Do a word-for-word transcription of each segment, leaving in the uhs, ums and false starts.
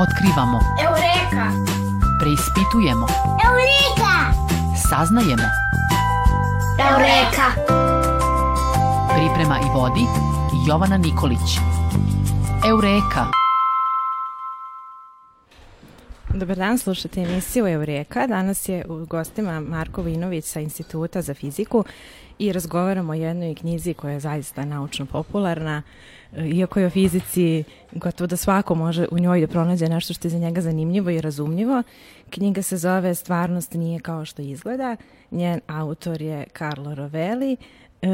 Otkrivamo. Eureka! Preispitujemo. Eureka! Saznajemo. Eureka! Priprema i vodi Jovana Nikolić. Eureka! Dobar dan, slušate emisiju Eureka. Danas je u gostima Marko Vinović sa Instituta za fiziku i razgovaramo o jednoj knjizi koja je zaista naučno popularna. Iako je o fizici gotovo da svako može u njoj da pronađe nešto što je za njega zanimljivo i razumljivo. Knjiga se zove Stvarnost nije kao što izgleda. Njen autor je Carlo Rovelli.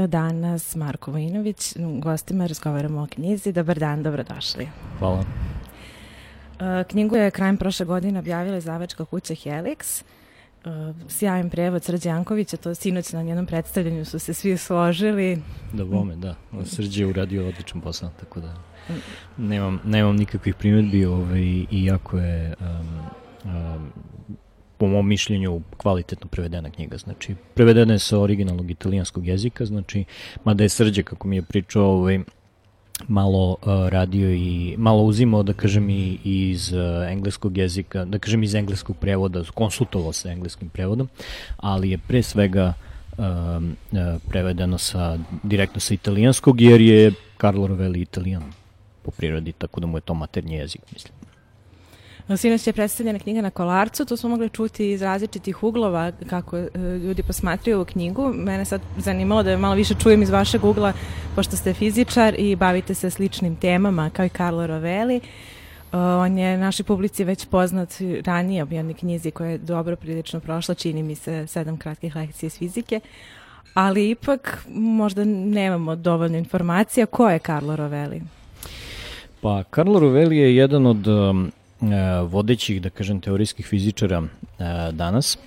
Danas Marko Vinović, gostima razgovaramo o knjizi. Dobar dan, dobrodošli. Hvala. Knjigu je krajem prošle godine objavila izdavačka kuća Helix. Sjajan prevod Srđe Jankovića, to sinoć na njenom predstavljanju su se svi složili. Da, bome, da. Srđe je uradio odličan posao, tako da nemam, nemam nikakvih primjedbi ovaj, i jako je um, um, po mom mišljenju kvalitetno prevedena knjiga. Znači, prevedena je sa originalnog italijanskog jezika, znači, mada je Srđe, kako mi je pričao, ovaj, malo uh, radio i malo uzimao, da kažem, i iz uh, engleskog jezika, da kažem iz engleskog prevoda, konsultovao sa engleskim prevodom, ali je pre svega uh, uh, prevedeno sa, direktno sa italijanskog, jer je Carlo Rovelli Italijan po prirodi, tako da mu je to maternji jezik, mislim. Sinoć je predstavljena knjiga na Kolarcu, to smo mogli čuti iz različitih uglova kako e, ljudi posmatraju ovu knjigu. Mene sad zanimalo da malo više čujem iz vašeg ugla, pošto ste fizičar i bavite se sličnim temama kao i Carlo Rovelli. Uh, on je našoj publici već poznat ranije u jednoj knjizi koja je dobro prilično prošla, čini mi se sedam kratkih lekcija iz fizike, ali ipak možda nemamo dovoljno informacija. Ko je Carlo Rovelli? Pa, Carlo Rovelli je jedan od um, vodećih, da kažem, teorijskih fizičara uh, danas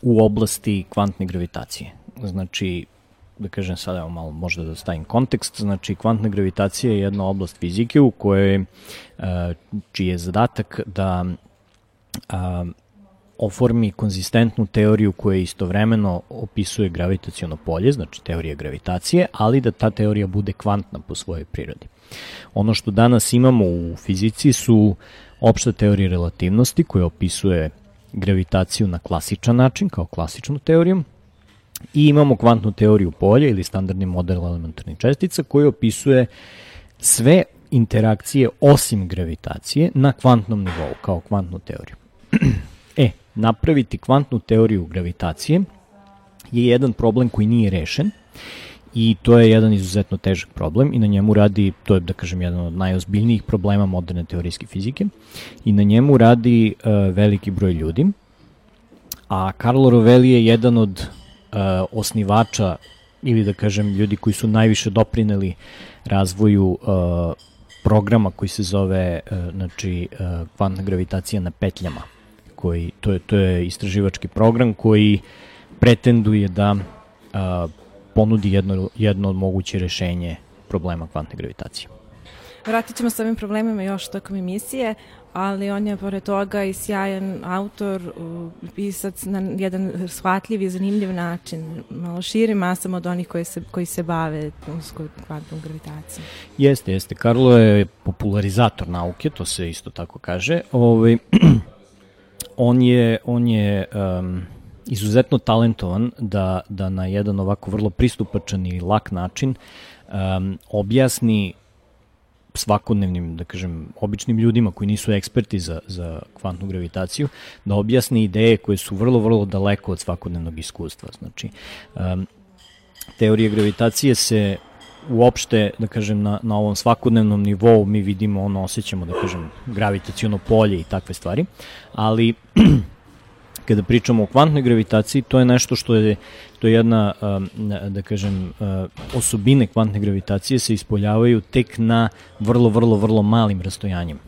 u oblasti kvantne gravitacije. Znači, da kažem sada, evo malo možda da stavim kontekst, znači kvantna gravitacija je jedna oblast fizike u kojoj, uh, čiji je zadatak da uh, oformi konzistentnu teoriju koja istovremeno opisuje gravitaciono polje, znači teorija gravitacije, ali da ta teorija bude kvantna po svojoj prirodi. Ono što danas imamo u fizici su opšta teorija relativnosti koja opisuje gravitaciju na klasičan način, kao klasičnu teoriju, i imamo kvantnu teoriju polja ili standardni model elementarnih čestica koji opisuje sve interakcije osim gravitacije na kvantnom nivou, kao kvantnu teoriju. E, napraviti kvantnu teoriju gravitacije je jedan problem koji nije rešen i to je jedan izuzetno težak problem i na njemu radi, to je da kažem jedan od najozbiljnijih problema moderne teorijske fizike i na njemu radi uh, veliki broj ljudi, a Carlo Rovelli je jedan od uh, osnivača ili da kažem ljudi koji su najviše doprineli razvoju uh, programa koji se zove uh, znači, uh, kvantna gravitacija na petljama. Koji, to, je, to je istraživački program koji pretenduje da uh, ponudi jedno, jedno od moguće rešenje problema kvantne gravitacije. Vratit ćemo s ovim problemima još tokom emisije, ali on je pored toga i sjajan autor, pisac na jedan shvatljiv i zanimljiv način, malo širi masama od onih koji se, koji se bave kvantnom gravitacijom. Jeste, jeste. Carlo je popularizator nauke, to se isto tako kaže. Ovaj, on je, on je um, izuzetno talentovan da, da na jedan ovako vrlo pristupačan i lak način um, objasni svakodnevnim, da kažem, običnim ljudima koji nisu eksperti za, za kvantnu gravitaciju, da objasni ideje koje su vrlo, vrlo daleko od svakodnevnog iskustva. Znači, um, teorija gravitacije se uopšte, da kažem, na, na ovom svakodnevnom nivou mi vidimo, ono, osjećamo, da kažem, gravitaciono polje i takve stvari, ali kada pričamo o kvantnoj gravitaciji, to je nešto što je, to je jedna, da kažem, osobine kvantne gravitacije se ispoljavaju tek na vrlo, vrlo, vrlo malim rastojanjima.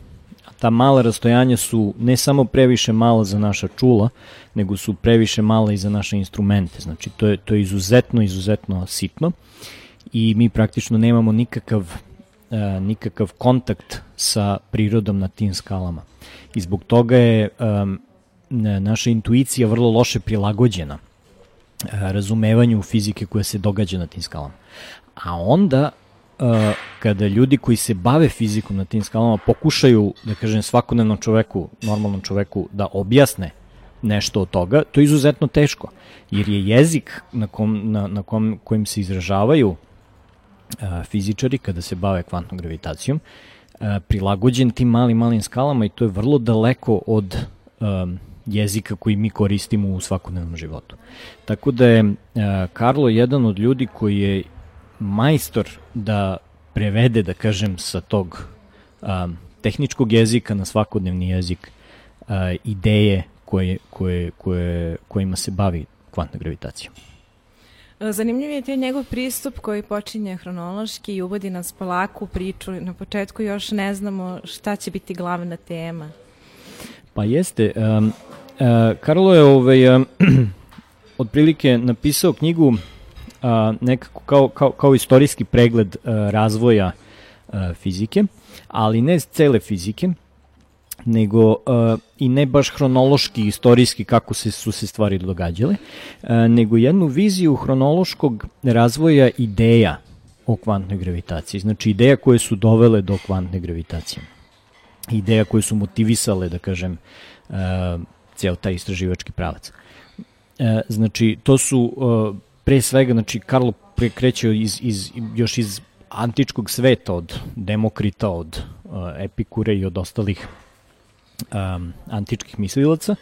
A ta mala rastojanja su ne samo previše mala za naša čula, nego su previše mala i za naše instrumente. Znači, to je, to je izuzetno, izuzetno sitno i mi praktično nemamo nikakav, nikakav kontakt sa prirodom na tim skalama. I zbog toga je naša intuicija vrlo loše prilagođena razumevanju fizike koja se događa na tim skalama. A onda uh, kada ljudi koji se bave fizikom na tim skalama pokušaju, da kažem, svakodnevnom čoveku, normalnom čoveku, da objasne nešto od toga, to je izuzetno teško, jer je jezik na, kom, na, na kom, kojim se izražavaju uh, fizičari kada se bave kvantnom gravitacijom, uh, prilagođen tim malim, malim skalama i to je vrlo daleko od um, jezika koji mi koristimo u svakodnevnom životu. Tako da je uh, Karlo jedan od ljudi koji je majstor da prevede, da kažem, sa tog um, tehničkog jezika na svakodnevni jezik uh, ideje koje, koje, koje, kojima se bavi kvantna gravitacija. Zanimljiv je taj njegov pristup koji počinje hronološki i uvodi nas polako u priču. Na početku još ne znamo šta će biti glavna tema. Pa jeste. Um, uh, Karlo je ovaj, um, otprilike napisao knjigu uh, nekako kao, kao, kao istorijski pregled uh, razvoja uh, fizike, ali ne cele fizike, nego uh, i ne baš hronološki, istorijski kako se, su se stvari događale, uh, nego jednu viziju hronološkog razvoja ideja o kvantnoj gravitaciji. Znači ideja koje su dovele do kvantne gravitacije. Ideja koje su motivisale, da kažem, uh, cijel taj istraživački pravac. Uh, znači, to su uh, pre svega, znači, Karlo kreće iz, iz, još iz antičkog sveta, od Demokrita, od uh, Epikure i od ostalih um, antičkih mislilaca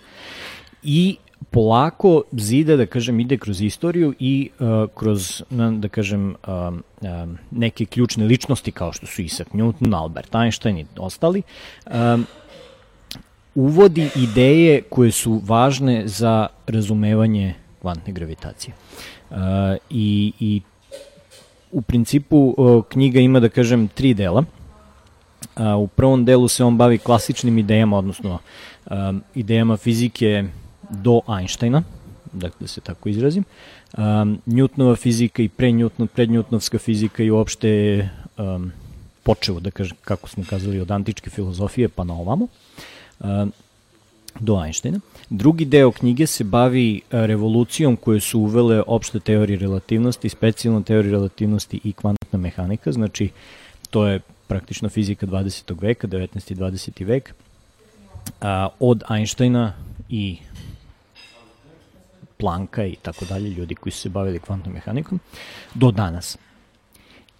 i polako zida, da kažem, ide kroz istoriju i uh, kroz, da kažem, um, um, neke ključne ličnosti kao što su Isaac Newton, Albert Einstein i ostali, um, uvodi ideje koje su važne za razumevanje kvantne gravitacije. Uh, i, I u principu uh, knjiga ima, da kažem, tri dela. Uh, u prvom delu se on bavi klasičnim idejama, odnosno um, idejama fizike do Einsteina, da, da se tako izrazim. Um, Newtonova fizika i pre-Newton, prednewtonovska fizika i uopšte um, počevo, da kažem, kako smo kazali, od antičke filozofije pa na ovamo, um, do Einsteina. Drugi deo knjige se bavi revolucijom koje su uvele opšte teorije relativnosti, specijalna teorija relativnosti i kvantna mehanika, znači to je praktično fizika dvadesetog veka, devetnaesti i dvadeseti vek, a, od Einsteina i Plancka i tako dalje, ljudi koji su se bavili kvantnom mehanikom, do danas.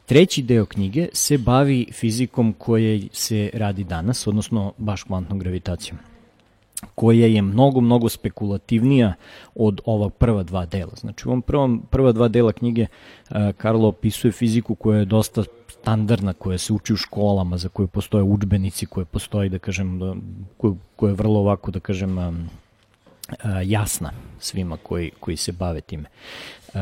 Treći deo knjige se bavi fizikom koje se radi danas, odnosno baš kvantnom gravitacijom, koja je mnogo, mnogo spekulativnija od ova prva dva dela. Znači u ovom prvom, prva dva dela knjige uh, Karlo opisuje fiziku koja je dosta standardna, koja se uči u školama, za koje postoje udžbenici, koje postoji, da kažem, koja, koja je vrlo ovako, da kažem, um, uh, jasna svima koji, koji se bave time. Uh,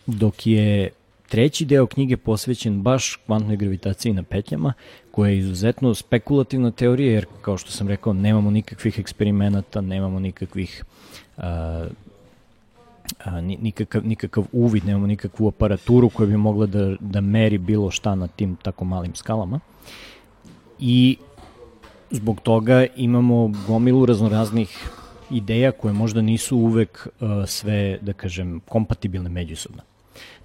dok je treći deo knjige posvećen baš kvantnoj gravitaciji na petljama, koja je izuzetno spekulativna teorija, jer, kao što sam rekao, nemamo nikakvih eksperimenata, nemamo nikakvih a, a, nikakav, nikakav uvid, nemamo nikakvu aparaturu koja bi mogla da, da meri bilo šta na tim tako malim skalama. I zbog toga imamo gomilu raznoraznih ideja koje možda nisu uvek a, sve, da kažem, kompatibilne međusobno.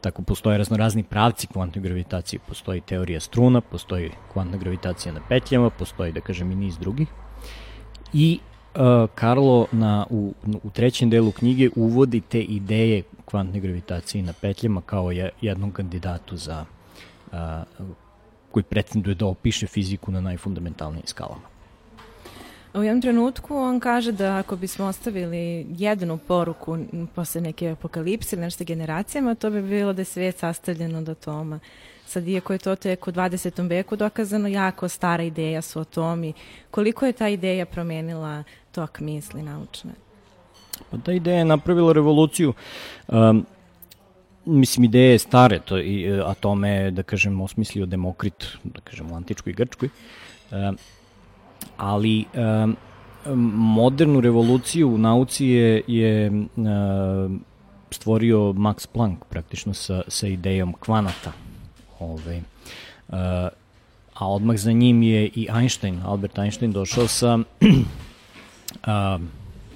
Tako postoje raznorazni pravci kvantne gravitacije, postoji teorija struna, postoji kvantna gravitacija na petljama, postoji, da kažem, i niz drugih. I uh, Karlo na, u, u trećem delu knjige uvodi te ideje kvantne gravitacije na petljama kao je, jednom kandidatu za uh, koji pretenduje da opiše fiziku na najfundamentalnijim skalama. U jednom trenutku on kaže da ako bismo ostavili jednu poruku posle neke apokalipse ili nešto generacijama, to bi bilo da je svijet sastavljen od atoma. Sad, iako je to tek u dvadesetom veku dokazano, jako stara ideja su atomi. Koliko je ta ideja promenila tok misli naučne? Pa ta ideja je napravila revoluciju. Um, mislim, ideje je stare, to, i, atome, da kažem, osmislio Demokrit, da kažem, u antičkoj i grčkoj. Um, ali um, modernu revoluciju u nauci je, je um, stvorio Max Planck praktično sa, sa idejom kvanata. Ove, uh, a odmah za njim je i Einstein, Albert Einstein, došao sa uh,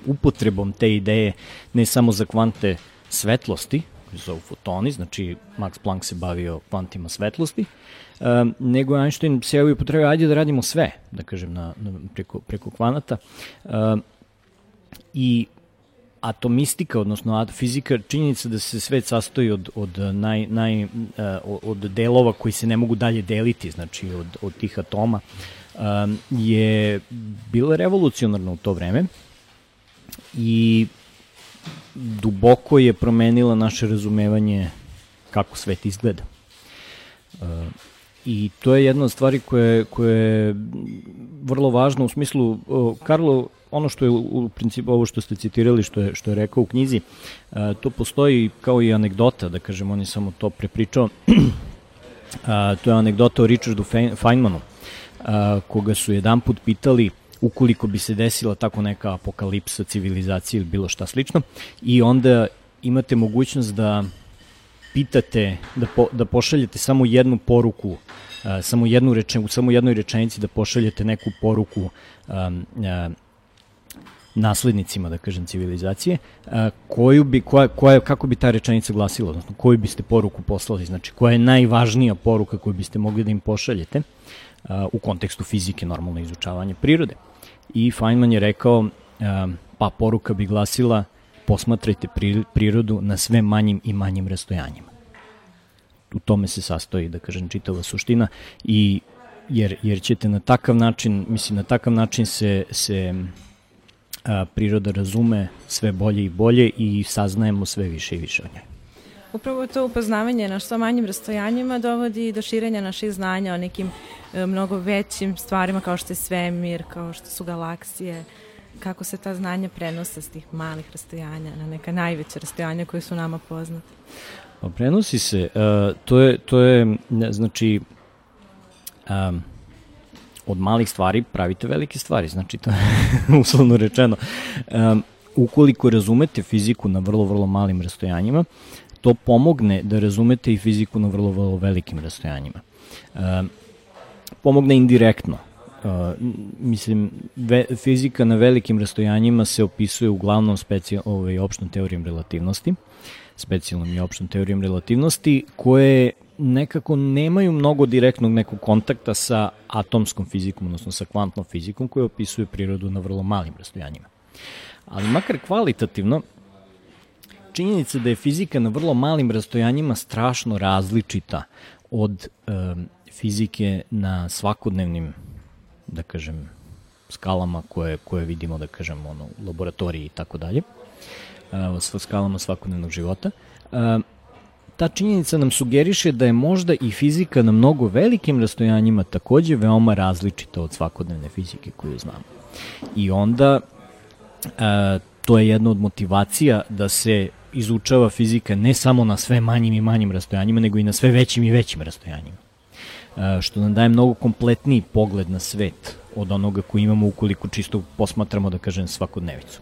upotrebom te ideje ne samo za kvante svetlosti, koji se zovu fotoni, znači Max Planck se bavio kvantima svetlosti, um, nego Einstein se javio potrebio, ajde da radimo sve, da kažem, na, na, preko, preko kvanata. Um, I atomistika, odnosno fizika, činjenica da se svet sastoji od, od, naj, naj, od delova koji se ne mogu dalje deliti, znači od, od tih atoma, um, je bila revolucionarna u to vreme i duboko je promenila naše razumevanje kako svet izgleda. Uh, I to je jedna od stvari koje, koje je vrlo važno u smislu, uh, Karlo, ono što je u principu, ovo što ste citirali, što je, što je rekao u knjizi, uh, to postoji kao i anegdota, da kažem, on je samo to prepričao. uh, to je anegdota o Richardu Feynmanu, uh, koga su jedan put pitali ukoliko bi se desila tako neka apokalipsa civilizacije ili bilo šta slično, i onda imate mogućnost da pitate, da, po, da pošaljete samo jednu poruku, uh, samo jednu reče, u samo jednoj rečenici da pošaljete neku poruku um, uh, naslednicima, da kažem, civilizacije, uh, koju bi, koja, koja, kako bi ta rečenica glasila, odnosno koju biste poruku poslali, znači koja je najvažnija poruka koju biste mogli da im pošaljete uh, u kontekstu fizike, normalno izučavanje prirode. I Feynman je rekao, uh, pa poruka bi glasila: posmatrajte prirodu na sve manjim i manjim rastojanjima. U tome se sastoji, da kažem, čitava suština, i jer, jer ćete na takav način, mislim, na takav način se, se a, priroda razume sve bolje i bolje i saznajemo sve više i više o njoj. Upravo to upoznavanje na što manjim rastojanjima dovodi do širenja naših znanja o nekim e, mnogo većim stvarima kao što je svemir, kao što su galaksije. Kako se ta znanja prenose s tih malih rastojanja na neka najveća rastojanja koje su nama poznate? Pa prenosi se, uh, to je, to je znači, um, od malih stvari pravite velike stvari, znači to je uslovno rečeno. Um, ukoliko razumete fiziku na vrlo, vrlo malim rastojanjima, to pomogne da razumete i fiziku na vrlo, vrlo velikim rastojanjima. Um, pomogne indirektno. Uh, mislim, ve, fizika na velikim rastojanjima se opisuje uglavnom specijal, ovaj, opštom teorijom relativnosti, specijalnom i opštom teorijom relativnosti, koje nekako nemaju mnogo direktnog nekog kontakta sa atomskom fizikom, odnosno sa kvantnom fizikom, koja opisuje prirodu na vrlo malim rastojanjima. Ali makar kvalitativno, činjenica da je fizika na vrlo malim rastojanjima strašno različita od um, fizike na svakodnevnim, da kažem, skalama koje, koje vidimo, da kažem, ono, u laboratoriji i tako dalje, s skalama svakodnevnog života. Ta činjenica nam sugeriše da je možda i fizika na mnogo velikim rastojanjima takođe veoma različita od svakodnevne fizike koju znamo. I onda to je jedna od motivacija da se izučava fizika ne samo na sve manjim i manjim rastojanjima, nego i na sve većim i većim rastojanjima. Što nam daje mnogo kompletniji pogled na svet od onoga koji imamo ukoliko čisto posmatramo, da kažem, svakodnevicu.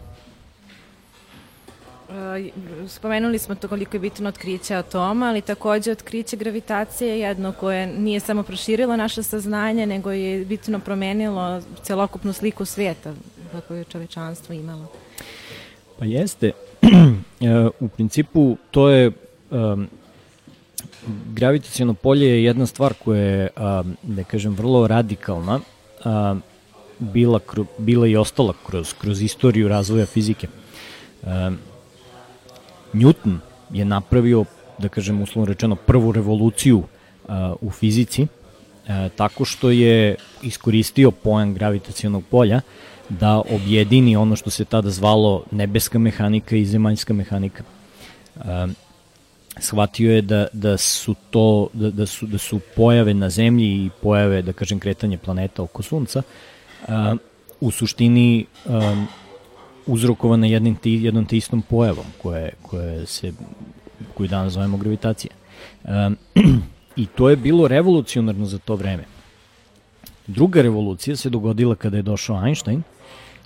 Spomenuli smo to koliko je bitno otkriće atoma, ali takođe otkriće gravitacije je jedno koje nije samo proširilo naše saznanje, nego je bitno promenilo celokupnu sliku sveta kako je čovečanstvo imalo. Pa jeste. U principu to je... Um, gravitaciono polje je jedna stvar koja je, da kažem, vrlo radikalna, bila, bila i ostala kroz, kroz istoriju razvoja fizike. Newton je napravio, da kažem, uslovno rečeno, prvu revoluciju u fizici, tako što je iskoristio pojam gravitacionog polja da objedini ono što se tada zvalo nebeska mehanika i zemaljska mehanika. Shvatio je da, da su to da, da, su, da su pojave na zemlji i pojave, da kažem, kretanje planeta oko Sunca a, u suštini a, uzrokovane jednim ti, jednom te istom pojavom koje, koje se, koju danas zovemo gravitacija. A, I to je bilo revolucionarno za to vreme. Druga revolucija se dogodila kada je došao Einstein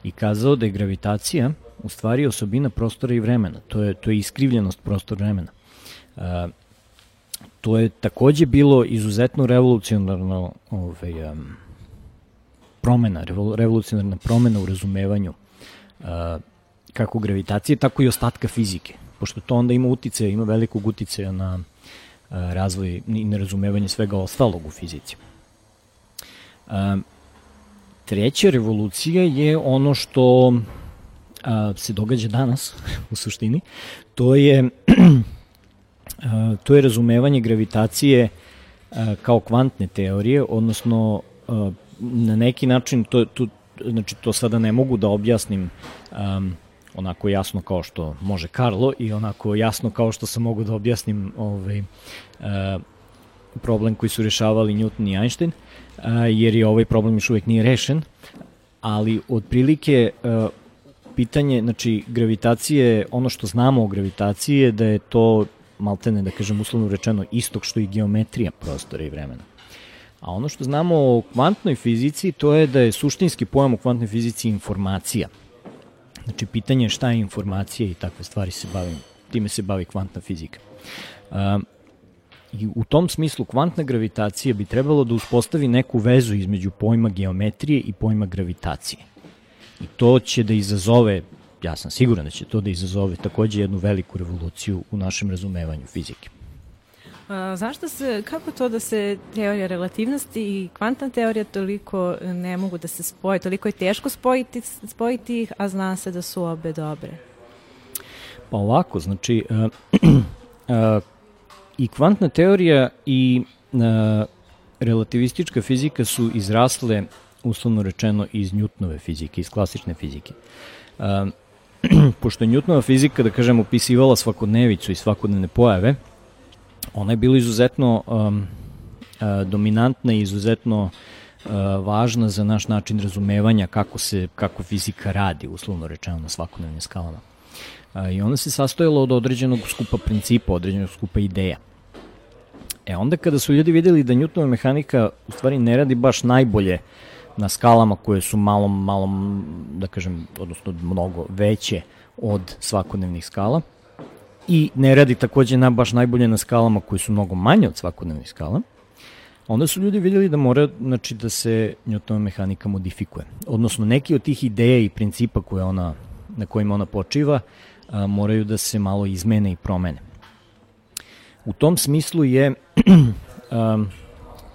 i kazao da je gravitacija u stvari osobina prostora i vremena. To je, to je iskrivljenost prostora vremena. Uh, to je takođe bilo izuzetno revolucionarno ovaj, um, promena, revol, revolucionarna promena u razumevanju uh, kako gravitacije, tako i ostatka fizike. pošto to onda ima uticaja, ima velikog uticaja na razvoj i nerazumevanje svega ostalog u fizici. Treća revolucija je ono što se događa danas, u suštini, to je, to je razumevanje gravitacije kao kvantne teorije, odnosno na neki način, to, to, znači to sada ne mogu da objasnim um, onako jasno kao što može Karlo i onako jasno kao što sam mogu da objasnim ovaj, uh, problem koji su rešavali Newton i Einstein, uh, jer je ovaj problem još uvijek nije rešen, ali otprilike uh, pitanje, znači gravitacije, ono što znamo o gravitaciji je da je to maltene, da kažem uslovno rečeno, istog što i geometrija prostora i vremena. A ono što znamo o kvantnoj fizici, to je da je suštinski pojam u kvantnoj fizici informacija. Znači, pitanje je šta je informacija i takve stvari se bavim, time se bavi kvantna fizika. Um, I u tom smislu kvantna gravitacija bi trebalo da uspostavi neku vezu između pojma geometrije i pojma gravitacije. I to će da izazove, ja sam siguran da će to da izazove takođe jednu veliku revoluciju u našem razumevanju fizike. A, zašto se, kako to da se teorija relativnosti i kvantna teorija toliko ne mogu da se spoje, toliko je teško spojiti, spojiti ih, a zna se da su obe dobre? Pa ovako, znači, uh, uh, i kvantna teorija i uh, relativistička fizika su izrasle, uslovno rečeno, iz Newtonove fizike, iz klasične fizike. Uh, pošto je Newtonova fizika, da kažem, opisivala svakodnevicu i svakodnevne pojave, ona je bila izuzetno um, uh, dominantna i izuzetno uh, važna za naš način razumevanja kako se kako fizika radi, uslovno rečeno, na svakodnevnim skalama. Uh, I ona se sastojala od određenog skupa principa, određenog skupa ideja. E onda kada su ljudi videli da Newtonova mehanika u stvari ne radi baš najbolje na skalama koje su malo, malo, da kažem, odnosno mnogo veće od svakodnevnih skala, i ne radi takođe na, baš najbolje na skalama koje su mnogo manje od svakodnevnih skala, onda su ljudi vidjeli da mora, znači, da se Newtonova mehanika modifikuje. Odnosno, neki od tih ideja i principa koje ona, na kojima ona počiva a, moraju da se malo izmene i promene. U tom smislu je a,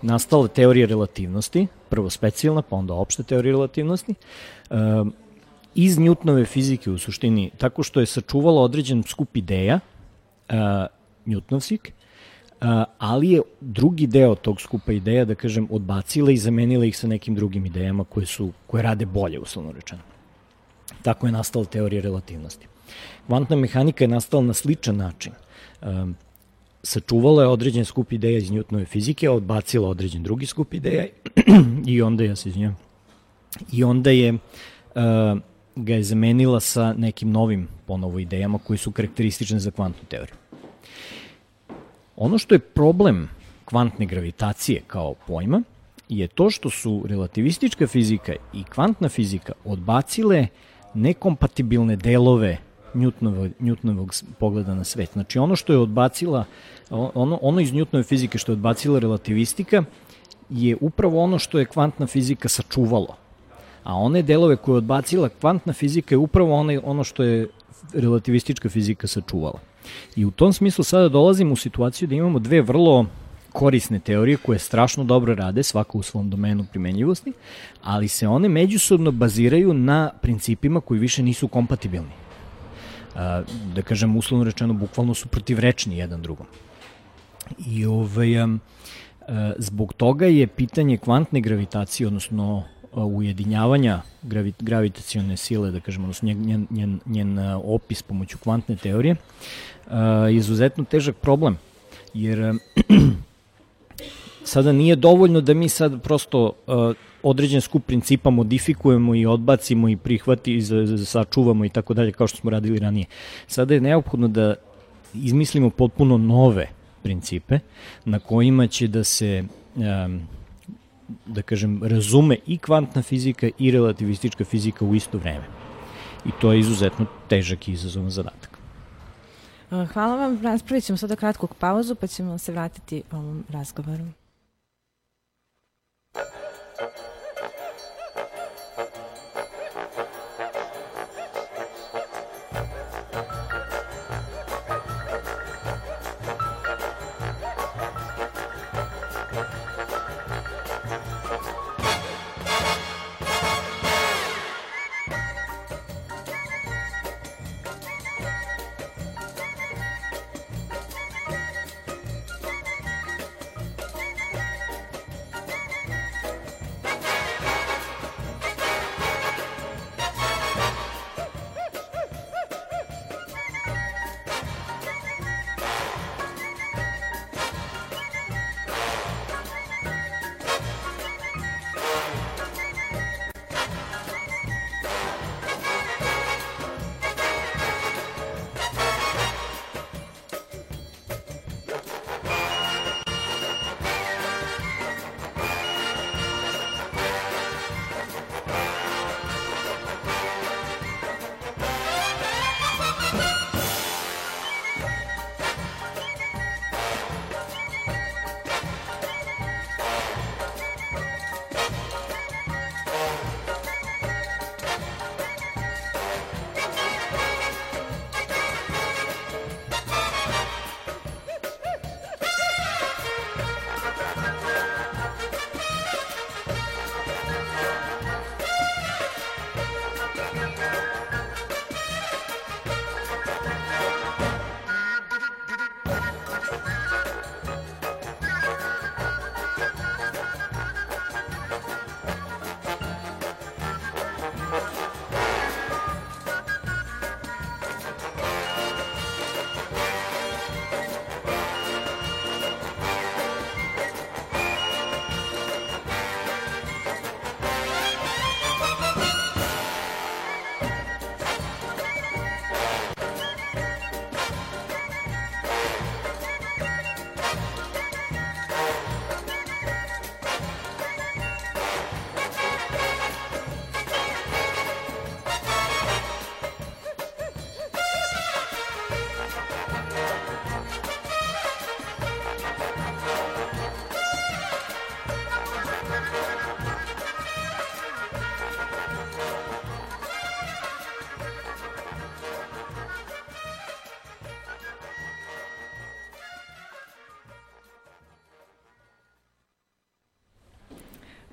nastala teorija relativnosti, prvo specijalna, pa onda opšta teorija relativnosti, a, iz Newtonove fizike u suštini, tako što je sačuvala određen skup ideja, uh, Newtonovskih, uh, ali je drugi deo tog skupa ideja, da kažem, odbacila i zamenila ih sa nekim drugim idejama koje, su, koje rade bolje, uslovno rečeno. Tako je nastala teorija relativnosti. Kvantna mehanika je nastala na sličan način. Um, sačuvala je određen skup ideja iz Newtonove fizike, a odbacila određen drugi skup ideja i onda, ja se izvinjam, i onda je uh, ga je zamenila sa nekim novim ponovo idejama koji su karakteristične za kvantnu teoriju. Ono što je problem kvantne gravitacije kao pojma je to što su relativistička fizika i kvantna fizika odbacile nekompatibilne delove Newtonovog, Newtonovog pogleda na svet. Znači ono što je odbacila, ono, ono iz Newtonove fizike što je odbacila relativistika je upravo ono što je kvantna fizika sačuvalo. A one delove koje je odbacila kvantna fizika je upravo ono, ono što je relativistička fizika sačuvala. I u tom smislu sada dolazimo u situaciju da imamo dve vrlo korisne teorije koje strašno dobro rade, svaka u svom domenu primenjivosti, ali se one međusobno baziraju na principima koji više nisu kompatibilni. Da kažem, uslovno rečeno, bukvalno su protivrečni jedan drugom. I ovaj, zbog toga je pitanje kvantne gravitacije, odnosno ujedinjavanja gravi, gravitacione sile, da kažemo, odnosno njen, njen, njen opis pomoću kvantne teorije, je izuzetno težak problem, jer sada nije dovoljno da mi sad prosto određen skup principa modifikujemo i odbacimo i prihvati i sačuvamo i tako dalje, kao što smo radili ranije. Sada je neophodno da izmislimo potpuno nove principe na kojima će da se da kažem, razume i kvantna fizika i relativistička fizika u isto vreme. I to je izuzetno težak i izazovan zadatak. Hvala vam. Raspravit ćemo sada kratku pauzu, pa ćemo se vratiti ovom razgovoru.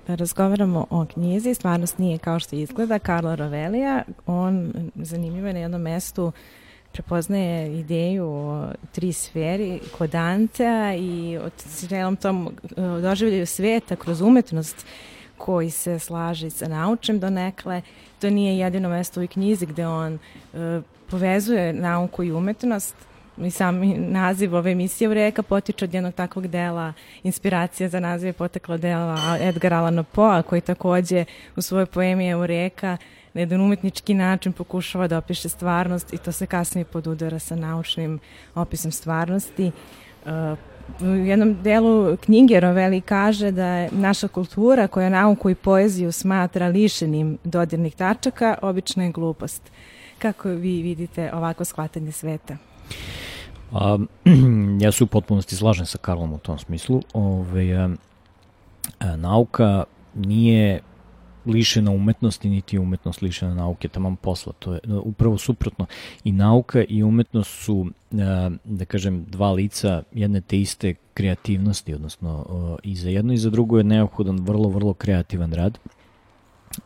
razgovaramo o knjizi Stvarnost nije kao što izgleda, Carlo Rovellija. On, zanimljivo je, na jednom mestu prepoznaje ideju o tri sferi kod Dantea i o cijelom tom doživljaju sveta kroz umetnost koji se slaže sa naučnim donekle. To nije jedino mesto u knjizi gde on uh, povezuje nauku i umetnost. I sami naziv ove emisije Eureka potiče od jednog takvog dela. Inspiracija za naziv je potekla dela Edgara Allana Poea, koji takođe u svojoj poemi Eureka na jedan umetnički način pokušava da opiše stvarnost i to se kasnije podudara sa naučnim opisom stvarnosti. Uh, u jednom delu knjige Rovelli kaže da je naša kultura koja nauku i poeziju smatra lišenim dodirnih tačaka obična je glupost. Kako vi vidite ovako shvatanje sveta? A, ja se u potpunosti slažem sa Karlom u tom smislu. Ove, a, a, nauka nije lišena umetnosti, niti je umetnost lišena nauke, taman posla. To je upravo suprotno. I nauka i umetnost su, a, da kažem, dva lica jedne te iste kreativnosti, odnosno a, i za jedno i za drugo je neophodan vrlo, vrlo kreativan rad.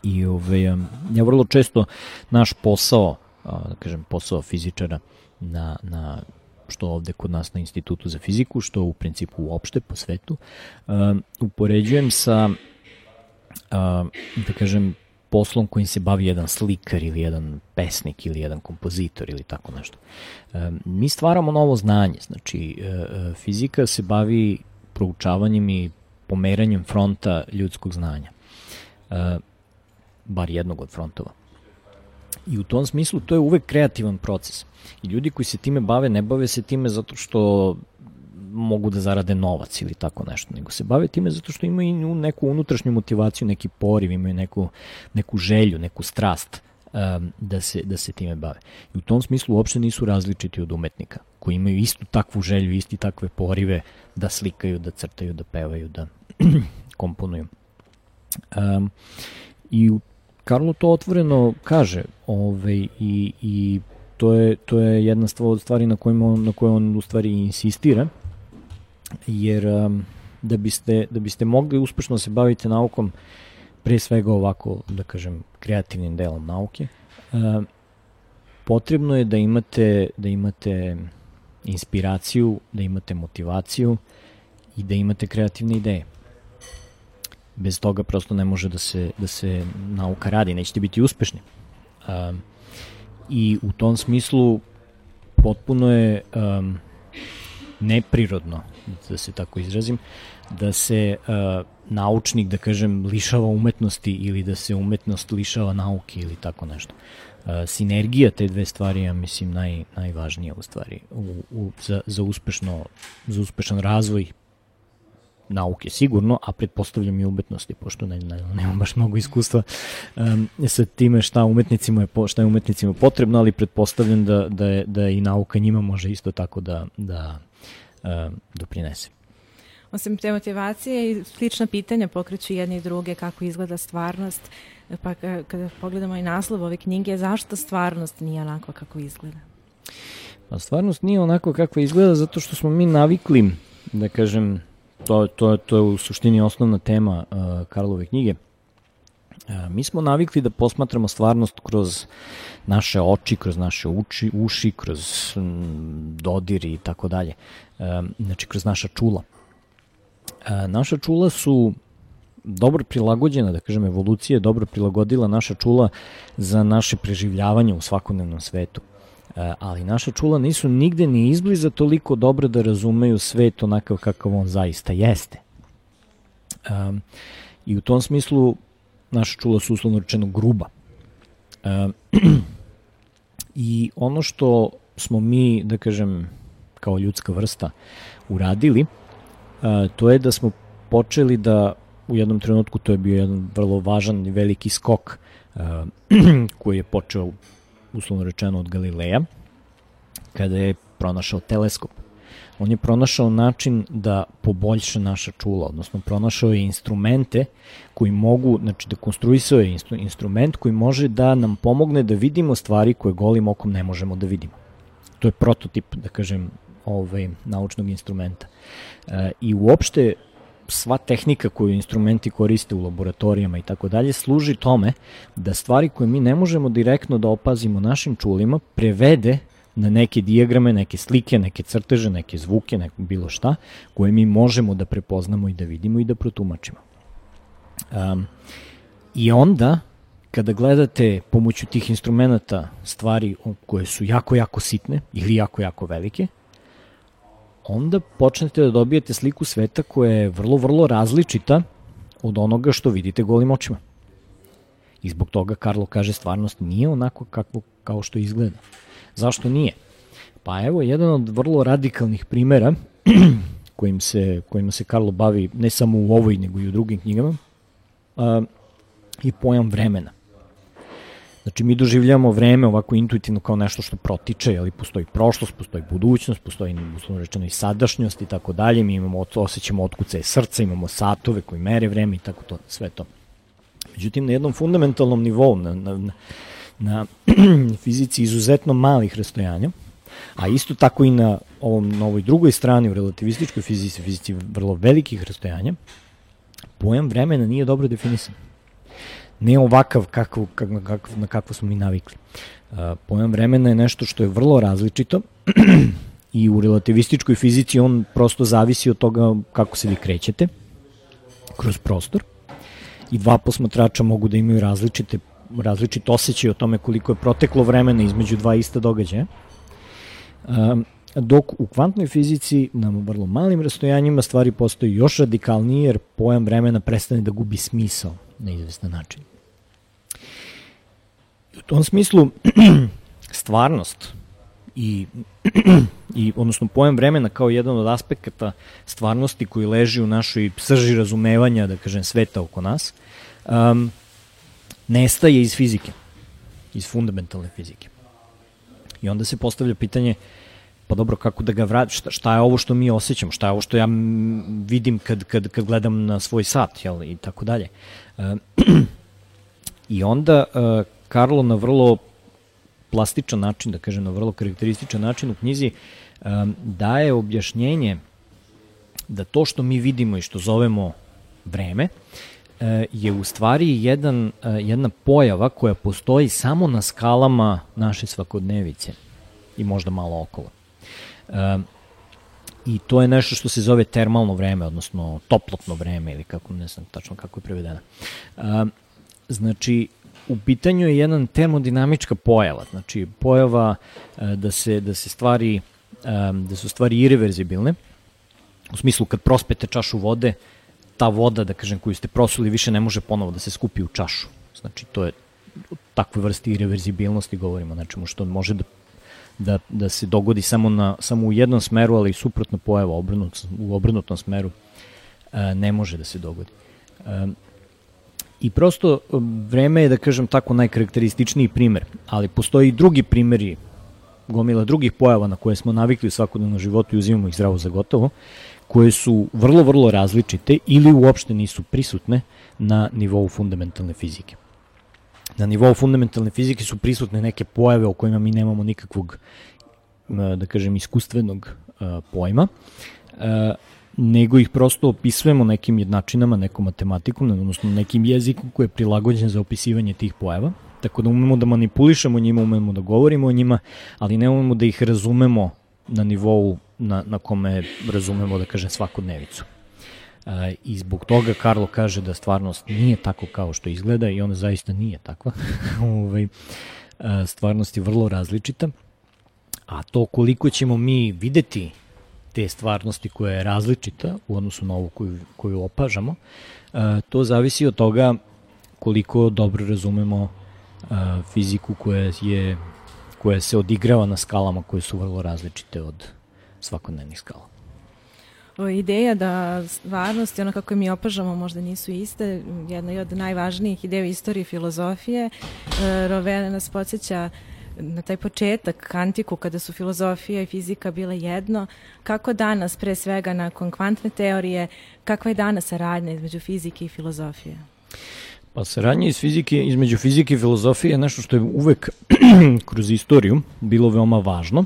I ove, a, ja vrlo često naš posao, a, da kažem, posao fizičara na, na što ovde kod nas na Institutu za fiziku, što u principu uopšte po svetu, uh, upoređujem sa, uh, da kažem, poslom kojim se bavi jedan slikar ili jedan pesnik ili jedan kompozitor ili tako nešto. Uh, mi stvaramo novo znanje, znači uh, fizika se bavi proučavanjem i pomeranjem fronta ljudskog znanja, uh, bar jednog od frontova. I u tom smislu to je uvek kreativan proces. I ljudi koji se time bave, ne bave se time zato što mogu da zarade novac ili tako nešto, nego se bave time zato što imaju neku unutrašnju motivaciju, neki poriv, imaju neku, neku želju, neku strast um, da, se, da se time bave. I u tom smislu uopšte nisu različiti od umetnika, koji imaju istu takvu želju, isti takve porive da slikaju, da crtaju, da pevaju, da komponuju. Um, I u Karlo to otvoreno kaže, ovaj, i, i to je, to je jedna od stvari na kojima on, na kojoj on u stvari insistira, jer um, da, biste, da biste mogli uspešno se baviti naukom, pre svega ovako, da kažem, kreativnim delom nauke, uh, potrebno je da imate, da imate inspiraciju, da imate motivaciju i da imate kreativne ideje. Bez toga prosto ne može da se, da se nauka radi, nećete biti uspešni. Um, I u tom smislu potpuno je um, neprirodno, da se tako izrazim, da se uh, naučnik, da kažem, lišava umetnosti ili da se umetnost lišava nauke ili tako nešto. Uh, sinergija te dve stvari, ja mislim, naj, najvažnija u stvari u, u, za, za, uspešno, za uspešan razvoj nauke sigurno, a pretpostavljam i umetnosti, pošto ne, ne, nemam baš mnogo iskustva um, sa time šta umetnicima je, šta je umetnicima potrebno, ali pretpostavljam da, da, je, da i nauka njima može isto tako da, da um, doprinese. Osim te motivacije i slična pitanja pokreću jedne i druge, kako izgleda stvarnost, pa kada pogledamo i naslov ove knjige, zašto stvarnost nije onako kako izgleda? Pa stvarnost nije onako kako izgleda zato što smo mi navikli, da kažem, To, to, to je u suštini osnovna tema uh, Karlove knjige. Uh, mi smo navikli da posmatramo stvarnost kroz naše oči, kroz naše uči, uši, kroz mm, dodir i tako dalje. Uh, znači, kroz naša čula. Uh, naša čula su dobro prilagođena, da kažem, evolucija je dobro prilagodila naša čula za naše preživljavanje u svakodnevnom svetu. Ali naša čula nisu nigde ni izbliza toliko dobro da razumeju svet onakav kakav on zaista jeste. Um, I u tom smislu naša čula su uslovno rečeno gruba. Um, I ono što smo mi, da kažem, kao ljudska vrsta uradili, uh, to je da smo počeli da u jednom trenutku, to je bio jedan vrlo važan i veliki skok uh, koji je počeo uslovno rečeno od Galileja, kada je pronašao teleskop. On je pronašao način da poboljša naša čula, odnosno pronašao je instrumente koji mogu, znači da konstruisao je instru, instrument koji može da nam pomogne da vidimo stvari koje golim okom ne možemo da vidimo. To je prototip, da kažem, ovaj, naučnog instrumenta. E, I uopšte sva tehnika koju instrumenti koriste u laboratorijama i tako dalje služi tome da stvari koje mi ne možemo direktno da opazimo našim čulima prevede na neke dijagrame, neke slike, neke crteže, neke zvuke, neko bilo šta, koje mi možemo da prepoznamo i da vidimo i da protumačimo. Um, I onda, kada gledate pomoću tih instrumenta stvari koje su jako, jako sitne ili jako, jako velike, onda počnete da dobijete sliku sveta koja je vrlo, vrlo različita od onoga što vidite golim očima. I zbog toga Karlo kaže stvarnost nije onako kako, kao što izgleda. Zašto nije? Pa evo, jedan od vrlo radikalnih primera kojim se, kojima se Karlo bavi ne samo u ovoj, nego i u drugim knjigama, a, i pojam vremena. Znači, mi doživljamo vreme ovako intuitivno kao nešto što protiče, ali postoji prošlost, postoji budućnost, postoji, uslovno rečeno, i sadašnjost i tako dalje. Mi imamo, osjećamo otkucaje srca, imamo satove koji mere vreme i tako to, sve to. Međutim, na jednom fundamentalnom nivou, na, na, na fizici izuzetno malih rastojanja, a isto tako i na, ovom, na ovoj drugoj strani, u relativističkoj fizici, fizici vrlo velikih rastojanja, pojam vremena nije dobro definisan. Ne ovakav kakav, kakav, kakav, na kakvo smo mi navikli. Uh, pojam vremena je nešto što je vrlo različito i u relativističkoj fizici on prosto zavisi od toga kako se vi krećete kroz prostor i dva posmatrača mogu da imaju različite, različite osjećaje o tome koliko je proteklo vremena između dva ista događaja. Uh, dok u kvantnoj fizici na vrlo malim rastojanjima stvari postaju još radikalnije jer pojam vremena prestane da gubi smisao na izvestan način. U tom smislu stvarnost i, i odnosno pojam vremena kao jedan od aspekata stvarnosti koji leži u našoj srži razumevanja, da kažem, sveta oko nas, um, nestaje iz fizike, iz fundamentalne fizike. I onda se postavlja pitanje, pa dobro, kako da ga vratim, šta, šta je ovo što mi osjećamo, šta je ovo što ja vidim kad, kad, kad gledam na svoj sat, jel, i tako dalje. I onda uh, Karlo na vrlo plastičan način, da kažem, na vrlo karakterističan način u knjizi um, daje objašnjenje da to što mi vidimo i što zovemo vreme uh, je u stvari jedan, uh, jedna pojava koja postoji samo na skalama naše svakodnevice i možda malo okolo. Um, I to je nešto što se zove termalno vreme, odnosno toplotno vreme, ili kako, ne znam tačno kako je prevedeno. Um, znači, u pitanju je jedan termodinamička pojava, znači pojava uh, da se, da se stvari, um, da su stvari irreverzibilne, u smislu kad prospete čašu vode, ta voda, da kažem, koju ste prosuli više ne može ponovo da se skupi u čašu. Znači, to je takve vrste irreverzibilnosti govorimo, znači što može da Da, da se dogodi samo, na, samo u jednom smeru, ali suprotno pojava obrnut, u obrnutom smeru e, ne može da se dogodi. E, I prosto vreme je, da kažem tako, najkarakterističniji primer, ali postoji i drugi primeri, gomila drugih pojava na koje smo navikli u svakodnevnom životu i uzimamo ih zdravo za gotovo, koje su vrlo, vrlo različite ili uopšte nisu prisutne na nivou fundamentalne fizike. Na nivou fundamentalne fizike su prisutne neke pojave o kojima mi nemamo nikakvog, da kažem, iskustvenog pojma, nego ih prosto opisujemo nekim jednačinama, nekom matematikom, odnosno nekim jezikom koji je prilagođen za opisivanje tih pojava, tako da umemo da manipulišemo njima, umemo da govorimo o njima, ali ne umemo da ih razumemo na nivou na, na kome razumemo, da kažem, svakodnevicu. I zbog toga Karlo kaže da stvarnost nije tako kao što izgleda i ona zaista nije takva. Stvarnost je vrlo različita, a to koliko ćemo mi videti te stvarnosti koja je različita u odnosu na ovu koju, koju opažamo, to zavisi od toga koliko dobro razumemo fiziku koja, je, koja se odigrava na skalama koje su vrlo različite od svakodnevnih skala. Ideja da stvarnost i ono kako mi opažamo možda nisu iste, jedna od najvažnijih ideja u istoriji filozofije. Rovele nas podsjeća na taj početak, antiku, kada su filozofija i fizika bile jedno. Kako danas, pre svega nakon kvantne teorije, kakva je danas saradnja između fizike i filozofije? Pa saradnja iz fizike, između fizike i filozofije je nešto što je uvek kroz istoriju bilo veoma važno.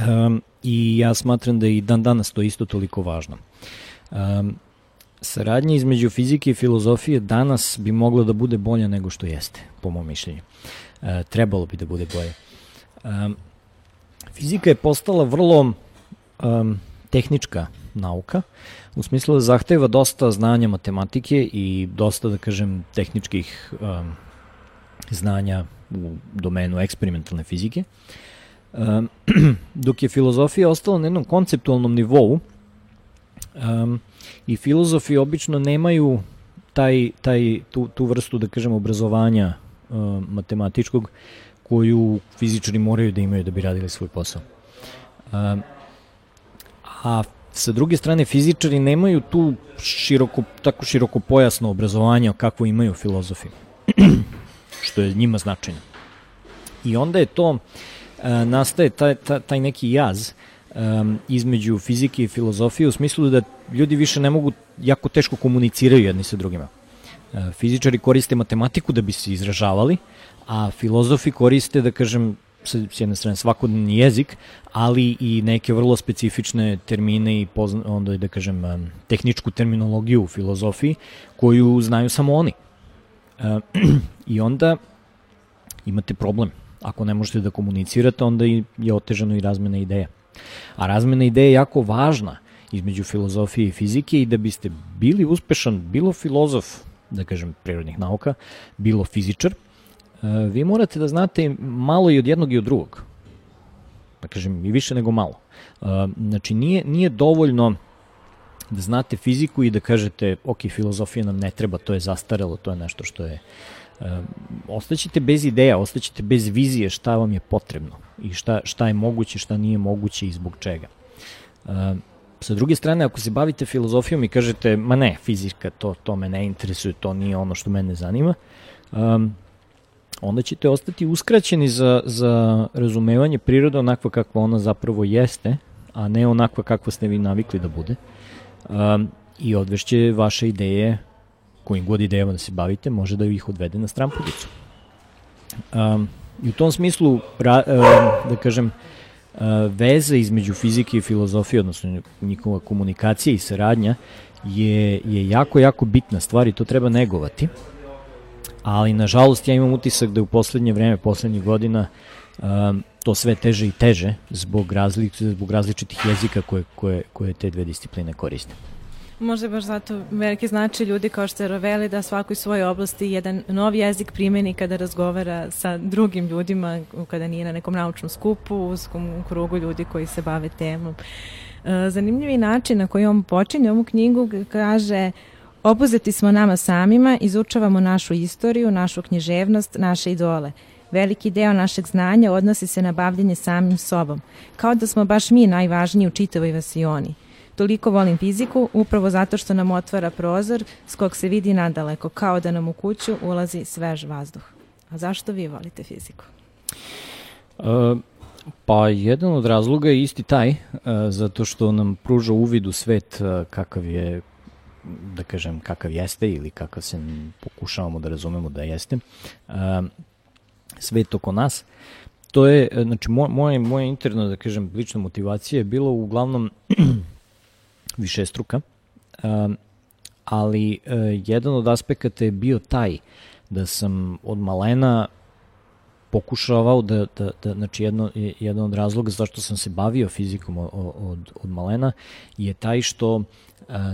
Um, I ja smatram da i dan danas to isto toliko važno. Um, saradnja između fizike i filozofije danas bi mogla da bude bolja nego što jeste, po mom mišljenju. E, trebalo bi da bude bolje. E, fizika je postala vrlo um, tehnička nauka, u smislu da zahteva dosta znanja matematike i dosta, da kažem, tehničkih um, znanja u domenu eksperimentalne fizike, um, dok je filozofija ostala na jednom konceptualnom nivou. Um, i filozofi obično nemaju taj, taj, tu, tu vrstu, da kažem, obrazovanja um, matematičkog koju fizičari moraju da imaju da bi radili svoj posao. Um, a sa druge strane, fizičari nemaju tu široko, tako široko pojasno obrazovanje kakvo imaju filozofi, što je njima značajno. I onda je to, uh, nastaje taj, taj, taj neki jaz um, između fizike i filozofije u smislu da ljudi više ne mogu, jako teško komuniciraju jedni sa drugima. Uh, fizičari koriste matematiku da bi se izražavali, a filozofi koriste, da kažem, s jedne strane svakodnevni jezik, ali i neke vrlo specifične termine i pozna, onda, da kažem, tehničku terminologiju u filozofiji koju znaju samo oni. Uh, I onda imate problem. Ako ne možete da komunicirate, onda je otežano i razmena ideja. A razmena ideja je jako važna između filozofije i fizike i da biste bili uspešan, bilo filozof, da kažem, prirodnih nauka, bilo fizičar, vi morate da znate malo i od jednog i od drugog. Da kažem, i više nego malo. Znači, nije, nije dovoljno da znate fiziku i da kažete, ok, filozofija nam ne treba, to je zastarelo, to je nešto što je... Ostaćete bez ideja, ostaćete bez vizije šta vam je potrebno i šta, šta je moguće, šta nije moguće i zbog čega. Sa druge strane, ako se bavite filozofijom i kažete, ma ne, fizika, to, to me ne interesuje, to nije ono što mene zanima, um, onda ćete ostati uskraćeni za, za razumevanje prirode onakva kakva ona zapravo jeste, a ne onakva kakva ste vi navikli da bude. Um, I odvešće vaše ideje, kojim god idejama da se bavite, može da ih odvede na strampudicu. Um, I u tom smislu, ra, um, da kažem, uh, veza između fizike i filozofije, odnosno njihova komunikacija i saradnja, je, je jako, jako bitna stvar i to treba negovati. Ali, nažalost, ja imam utisak da u poslednje vreme, poslednjih godina, um, to sve teže i teže zbog, razli, zbog različitih jezika koje, koje, koje te dve discipline koriste. Možda baš zato veliki znači ljudi kao što je Rovelli da svakoj svojoj oblasti jedan nov jezik primeni kada razgovara sa drugim ljudima, kada nije na nekom naučnom skupu, u krugu ljudi koji se bave temom. Zanimljivi način na koji on počinje ovu knjigu kaže: obuzeti smo nama samima, izučavamo našu istoriju, našu književnost, naše idole. Veliki deo našeg znanja odnosi se na bavljenje samim sobom, kao da smo baš mi najvažniji u čitavoj vasioni. Toliko volim fiziku, upravo zato što nam otvara prozor s kog se vidi nadaleko, kao da nam u kuću ulazi svež vazduh. A zašto vi volite fiziku? Uh, pa jedan od razloga je isti taj, uh, zato što nam pruža uvid u svet uh, kakav je, da kažem, kakav jeste ili kakav se pokušavamo da razumemo da jeste. Uh, svet oko nas. To je, znači, moje, moje interno, da kažem, lična motivacija je bilo uglavnom višestruka, um, ali uh, jedan od aspekata je bio taj da sam od malena pokušavao da, da, da znači jedno, jedan od razloga zašto sam se bavio fizikom od, od, od malena je taj što uh,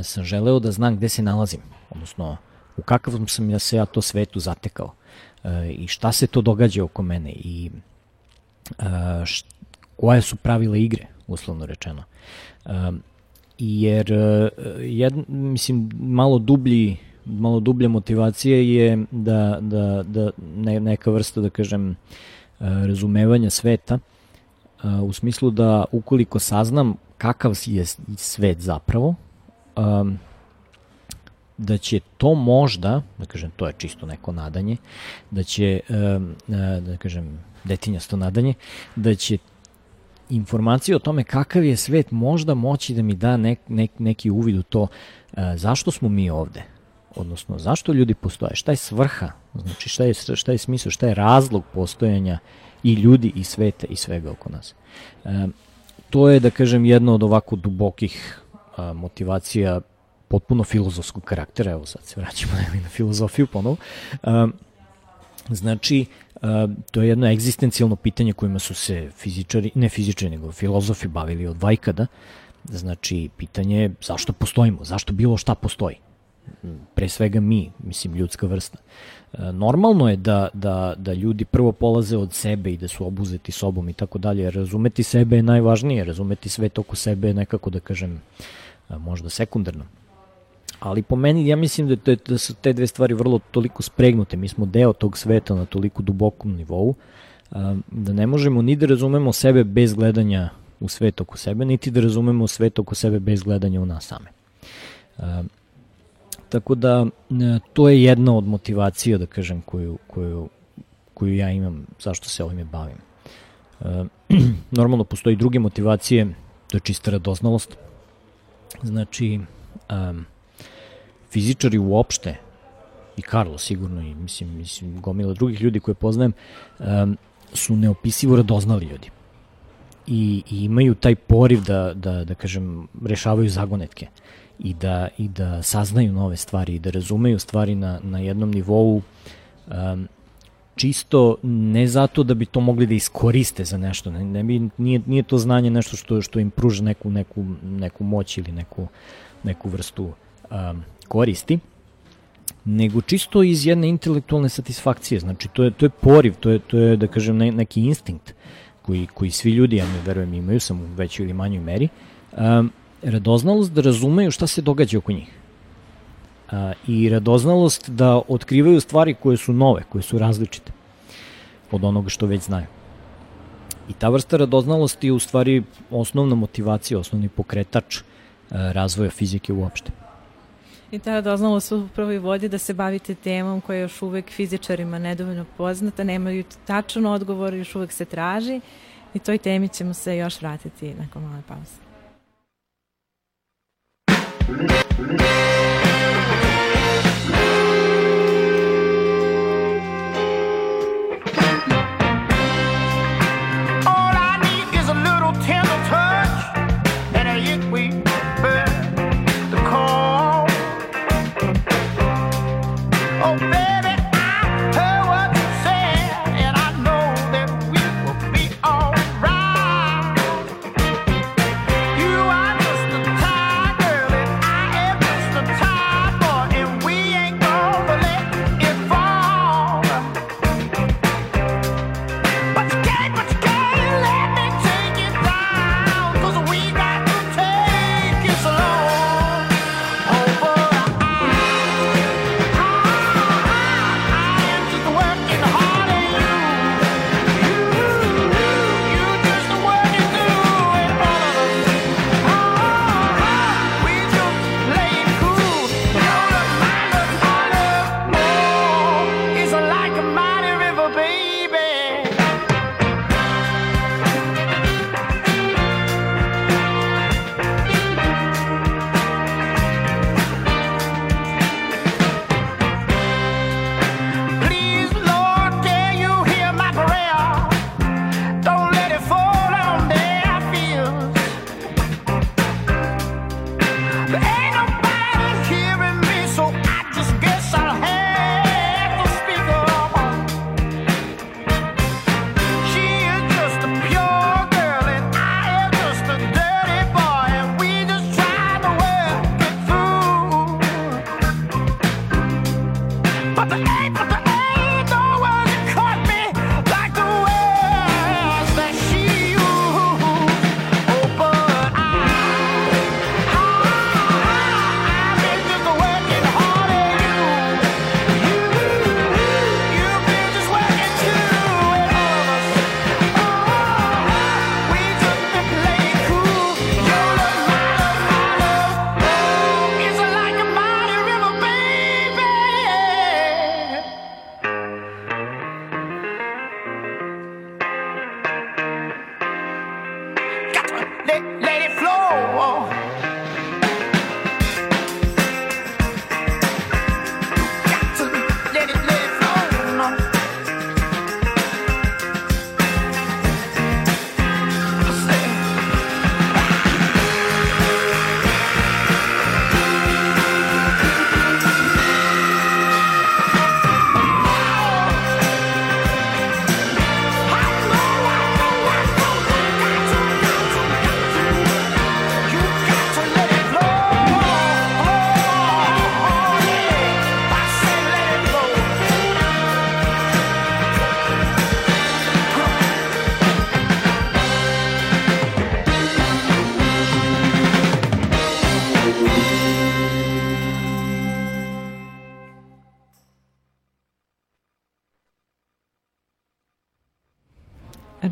sam želeo da znam gde se nalazim, odnosno u kakavom sam ja se ja to svetu zatekao uh, i šta se to događa oko mene i uh, št, koje su pravila igre, uslovno rečeno. Um, jer jed, mislim malo dublji malo dublja motivacija je da, da, da ne, neka vrsta, da kažem, razumevanja sveta u smislu da ukoliko saznam kakav je svet zapravo, da će to možda, da kažem, to je čisto neko nadanje, da će, da kažem, detinjasto nadanje, da će informacije o tome kakav je svet možda moći da mi da nek, nek, neki uvid u to e, zašto smo mi ovde, odnosno zašto ljudi postoje, šta je svrha, znači šta je, šta je smisao, šta je razlog postojanja i ljudi i sveta i svega oko nas. E, to je, da kažem, jedna od ovako dubokih a, motivacija potpuno filozofskog karaktera, evo sad se vraćamo na filozofiju ponovo. Um, znači, um, to je jedno egzistencijalno pitanje kojima su se fizičari, ne fizičari, nego filozofi bavili od vajkada. Znači, pitanje je zašto postojimo, zašto bilo šta postoji. Pre svega mi, mislim, ljudska vrsta. Normalno je da, da, da ljudi prvo polaze od sebe i da su obuzeti sobom i tako dalje. Razumeti sebe je najvažnije, razumeti svet oko sebe je nekako, da kažem, možda sekundarno. Ali po meni, ja mislim da, te, da su te dve stvari vrlo toliko spregnute. Mi smo deo tog sveta na toliko dubokom nivou, da ne možemo ni da razumemo sebe bez gledanja u svet oko sebe, niti da razumemo svet oko sebe bez gledanja u nas same. Tako da to je jedna od motivacija, da kažem, koju, koju, koju ja imam, zašto se ovime bavim. E, normalno postoji druge motivacije, to je čista radoznalost. Znači, um, fizičari uopšte, i Karlo sigurno, i mislim, mislim gomila drugih ljudi koje poznajem, um, su neopisivo radoznali ljudi. I, i imaju taj poriv da, da, da kažem, rešavaju zagonetke. I da, i da saznaju nove stvari i da razumeju stvari na, na jednom nivou, um, čisto ne zato da bi to mogli da iskoriste za nešto, ne, ne bi, nije, nije to znanje nešto što, što im pruža neku, neku, neku moć ili neku, neku vrstu um, koristi, nego čisto iz jedne intelektualne satisfakcije. Znači to je, to je poriv, to je, to je da kažem ne, neki instinkt koji, koji svi ljudi, ja ne verujem, imaju, sam u većoj ili manjoj meri, um, radoznalost da razumeju šta se događa oko njih. A, I radoznalost da otkrivaju stvari koje su nove, koje su različite od onoga što već znaju. I ta vrsta radoznalosti je u stvari osnovna motivacija, osnovni pokretač a, razvoja fizike uopšte. I ta radoznalost upravo i vodi da se bavite temom koja je još uvek fizičarima nedovoljno poznata, nemaju tačan odgovor, još uvek se traži i toj temi ćemo se još vratiti nakon male pauze.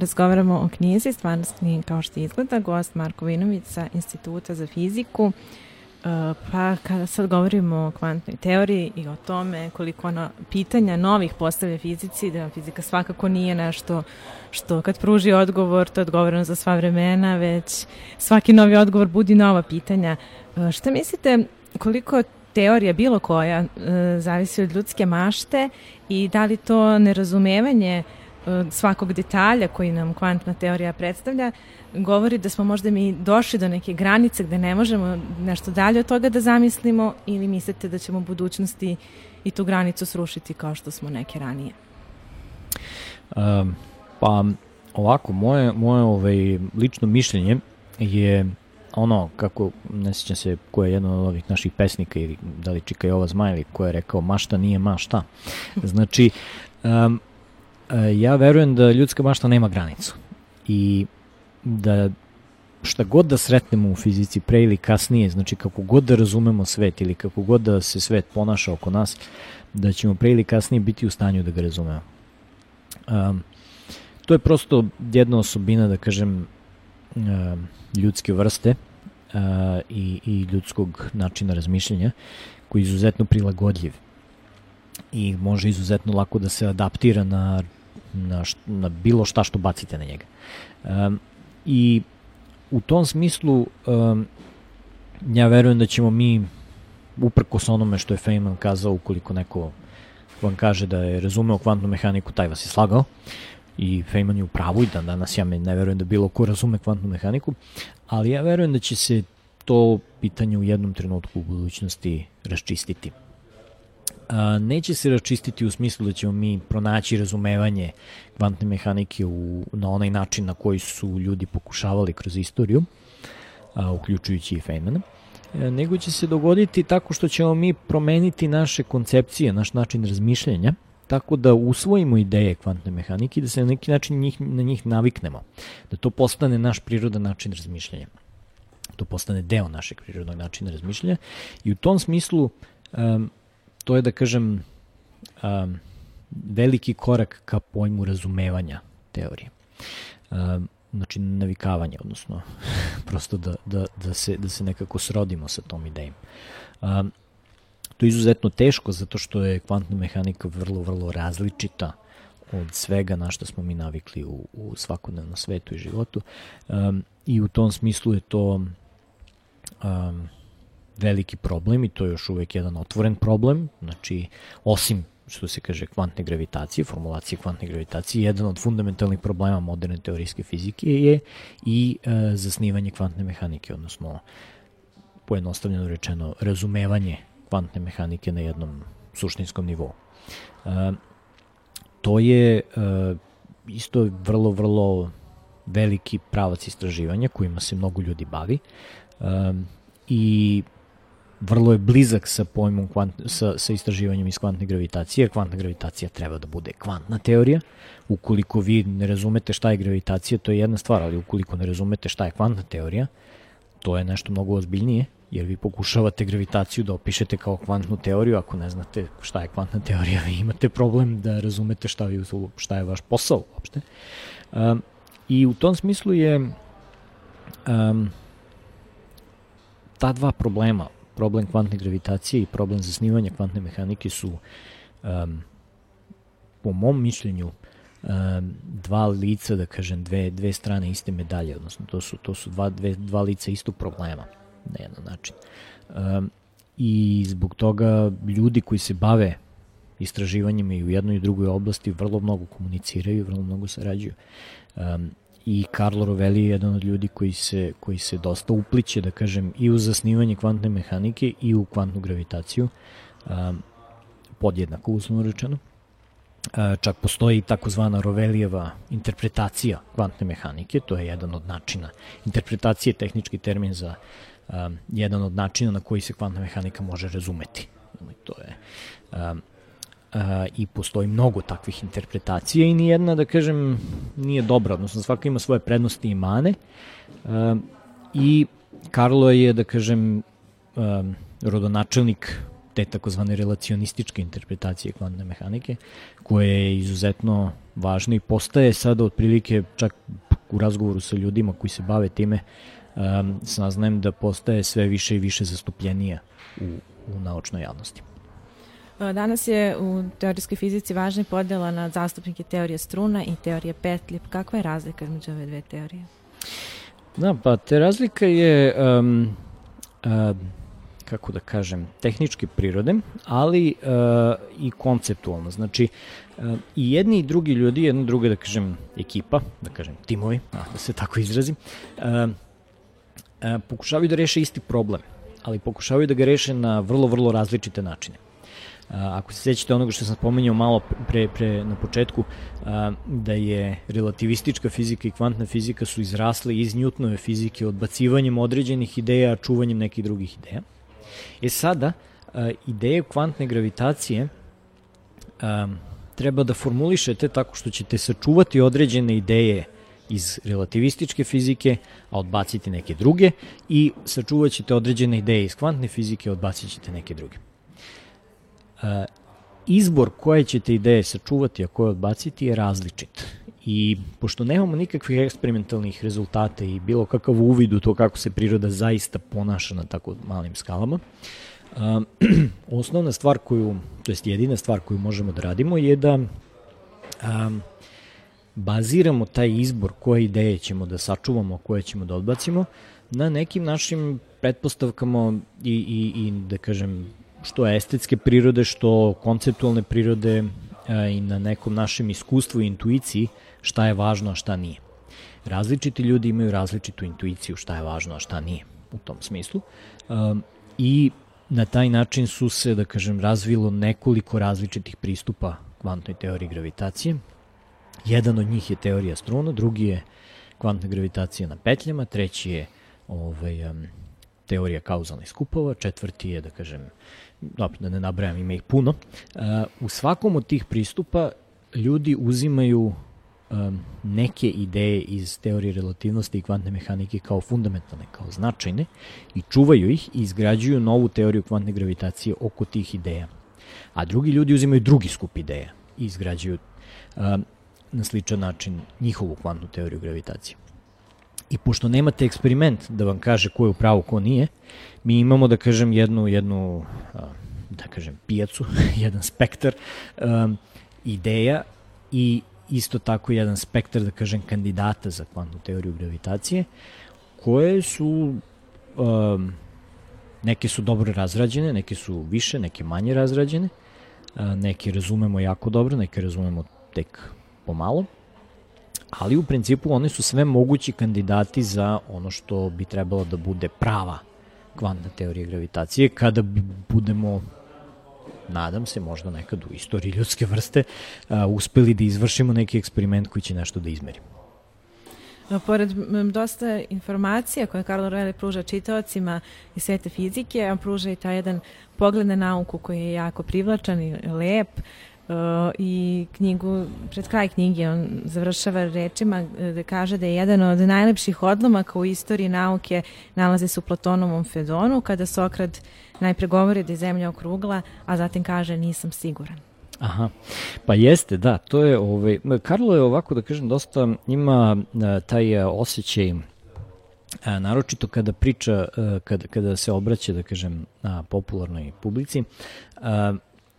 razgovaramo o knjizi Stvarnost nije kao što izgleda, gost Marko Vinović sa Instituta za fiziku. Pa kada sad govorimo o kvantnoj teoriji i o tome koliko ona pitanja novih postavlja fizici, da fizika svakako nije nešto što kad pruži odgovor, to je odgovoreno za sva vremena, već svaki novi odgovor budi nova pitanja. Šta mislite, koliko teorija bilo koja zavisi od ljudske mašte i da li to nerazumevanje svakog detalja koji nam kvantna teorija predstavlja govori da smo možda mi došli do neke granice gde ne možemo nešto dalje od toga da zamislimo, ili mislite da ćemo u budućnosti i tu granicu srušiti kao što smo neke ranije? Um, pa ovako, moje, moje ovaj, lično mišljenje je ono, kako, ne sjećam se ko je jedan od ovih naših pesnika ili da li Čika Jova Zmajli, ko je rekao mašta nije mašta. Znači, um, ja verujem da ljudska mašta nema granicu i da šta god da sretnemo u fizici pre ili kasnije, znači kako god da razumemo svet ili kako god da se svet ponaša oko nas, da ćemo pre ili kasnije biti u stanju da ga razumemo. Um, to je prosto jedna osobina, da kažem, um, ljudske vrste uh, i, i ljudskog načina razmišljanja koji je izuzetno prilagodljiv i može izuzetno lako da se adaptira na, na, št, na bilo šta što bacite na njega. Um, I u tom smislu um, ja verujem da ćemo mi, uprkos onome što je Feynman kazao, ukoliko neko vam kaže da je razumeo kvantnu mehaniku, taj vas je slagao, i Feynman je u pravu i dan danas ja ne verujem da bilo ko razume kvantnu mehaniku, ali ja verujem da će se to pitanje u jednom trenutku u budućnosti raščistiti. A, neće se raščistiti u smislu da ćemo mi pronaći razumevanje kvantne mehanike u, na onaj način na koji su ljudi pokušavali kroz istoriju, a, uključujući i Feynmana, e, nego će se dogoditi tako što ćemo mi promeniti naše koncepcije, naš način razmišljanja, tako da usvojimo ideje kvantne mehanike i da se na neki način njih, na njih naviknemo, da to postane naš prirodan način razmišljanja. To postane deo našeg prirodnog načina razmišljanja i u tom smislu um, to je, da kažem, um, veliki korak ka pojmu razumevanja teorije. Um, znači navikavanje, odnosno prosto da, da, da, se, da se nekako srodimo sa tom idejom. Um, to je izuzetno teško zato što je kvantna mehanika vrlo, vrlo različita od svega na što smo mi navikli u, u svakodnevnom svetu i životu. Um, I u tom smislu je to um, veliki problem i to je još uvek jedan otvoren problem. Znači, osim što se kaže kvantne gravitacije, formulacije kvantne gravitacije, jedan od fundamentalnih problema moderne teorijske fizike je i uh, zasnivanje kvantne mehanike, odnosno pojednostavljeno rečeno razumevanje kvantne mehanike na jednom suštinskom nivou. Uh, to je uh, isto vrlo, vrlo veliki pravac istraživanja kojima se mnogo ljudi bavi um, i vrlo je blizak sa pojmom kvant, sa, sa istraživanjem iz kvantne gravitacije, jer kvantna gravitacija treba da bude kvantna teorija. Ukoliko vi ne razumete šta je gravitacija, to je jedna stvar, ali ukoliko ne razumete šta je kvantna teorija, to je nešto mnogo ozbiljnije, jer vi pokušavate gravitaciju da opišete kao kvantnu teoriju, ako ne znate šta je kvantna teorija, vi imate problem da razumete šta, vi, šta je vaš posao uopšte. Um, I u tom smislu je um, ta dva problema, problem kvantne gravitacije i problem zasnivanja kvantne mehanike su um, po mom mišljenju um, dva lica, da kažem, dve, dve strane iste medalje, odnosno to su, to su dva, dve, dva lica istog problema na jedan način. Um, I zbog toga ljudi koji se bave istraživanjima i u jednoj i drugoj oblasti vrlo mnogo komuniciraju, vrlo mnogo sarađuju. Um, I Carlo Rovelli je jedan od ljudi koji se, koji se dosta upliće, da kažem, i u zasnivanje kvantne mehanike i u kvantnu gravitaciju, um, podjednako uslovno rečeno. Uh, čak postoji takozvana Rovelijeva interpretacija kvantne mehanike, to je jedan od načina. Interpretacija je tehnički termin za um, jedan od načina na koji se kvantna mehanika može razumeti. To je... Um, Uh, i postoji mnogo takvih interpretacija i nijedna, da kažem, nije dobra, odnosno svaka ima svoje prednosti i mane uh, i Carlo je, da kažem, uh, rodonačelnik te takozvane relacionističke interpretacije kvantne mehanike, koje je izuzetno važno i postaje sada otprilike, čak u razgovoru sa ljudima koji se bave time, um, saznajem da postaje sve više i više zastupljenija u, u naučnoj javnosti. Danas je u teorijskoj fizici važna podela na zastupnike teorije struna i teorije petlji. Kakva je razlika između ove dve teorije? Da, pa te razlika je, um, uh, kako da kažem, tehničke prirode, ali uh, i konceptualno. Znači, uh, i jedni i drugi ljudi, jedna i druga, da kažem, ekipa, da kažem, timovi, da se tako izrazim, uh, uh, pokušavaju da reše isti problem, ali pokušavaju da ga reše na vrlo, vrlo različite načine. A, ako se sjećate onoga što sam spomenuo malo pre, pre na početku, a, da je relativistička fizika i kvantna fizika su izrasle iz Newtonove fizike odbacivanjem određenih ideja, čuvanjem nekih drugih ideja. E sada, a, ideje kvantne gravitacije a, treba da formulišete tako što ćete sačuvati određene ideje iz relativističke fizike, a odbaciti neke druge, i sačuvat ćete određene ideje iz kvantne fizike, a odbacit ćete neke druge. Uh, izbor koje ćete ideje sačuvati, a koje odbaciti je različit. I pošto nemamo nikakvih eksperimentalnih rezultata i bilo kakav uvid u to kako se priroda zaista ponaša na tako malim skalama, uh, osnovna stvar koju, to jest jedina stvar koju možemo da radimo je da um, baziramo taj izbor koje ideje ćemo da sačuvamo, koje ćemo da odbacimo, na nekim našim pretpostavkama i, i, i da kažem, što estetske prirode, što konceptualne prirode a, i na nekom našem iskustvu i intuiciji šta je važno, a šta nije. Različiti ljudi imaju različitu intuiciju šta je važno, a šta nije u tom smislu. A, I na taj način su se, da kažem, razvilo nekoliko različitih pristupa kvantnoj teoriji gravitacije. Jedan od njih je teorija struna, drugi je kvantna gravitacija na petljama, treći je ovaj, um, teorija kauzalnih skupova, četvrti je, da kažem, dobro, da ne nabrajam, ima ih puno. Uh, u svakom od tih pristupa ljudi uzimaju um, neke ideje iz teorije relativnosti i kvantne mehanike kao fundamentalne, kao značajne, i čuvaju ih i izgrađuju novu teoriju kvantne gravitacije oko tih ideja. A drugi ljudi uzimaju drugi skup ideja i izgrađuju um, na sličan način njihovu kvantnu teoriju gravitacije. I pošto nemate eksperiment da vam kaže ko je u pravu, ko nije, mi imamo, da kažem, jednu, jednu da kažem, pijacu, jedan spektar um, ideja i isto tako jedan spektar, da kažem, kandidata za kvantnu teoriju gravitacije, koje su, um, neke su dobro razrađene, neke su više, neke manje razrađene, uh, neke razumemo jako dobro, neke razumemo tek pomalo, ali u principu one su sve mogući kandidati za ono što bi trebalo da bude prava kvantna teorija gravitacije, kada budemo, nadam se, možda nekad u istoriji ljudske vrste, a, uspeli da izvršimo neki eksperiment koji će nešto da izmeri. Pored dosta informacija koje Carlo Rovelli pruža čitaocima iz sveta fizike, on pruža i taj jedan pogled na nauku koji je jako privlačan i lep. Uh, i knjigu, pred kraj knjige on završava rečima da kaže da je jedan od najlepših odlomaka u istoriji nauke nalazi se u Platonovom Fedonu, kada Sokrat najpre govori da je zemlja okrugla, a zatim kaže nisam siguran. Aha, pa jeste, da, to je, ovaj, Karlo je ovako, da kažem, dosta ima taj osjećaj, a, naročito kada priča, kada, kada se obraća, da kažem, na popularnoj publici, a,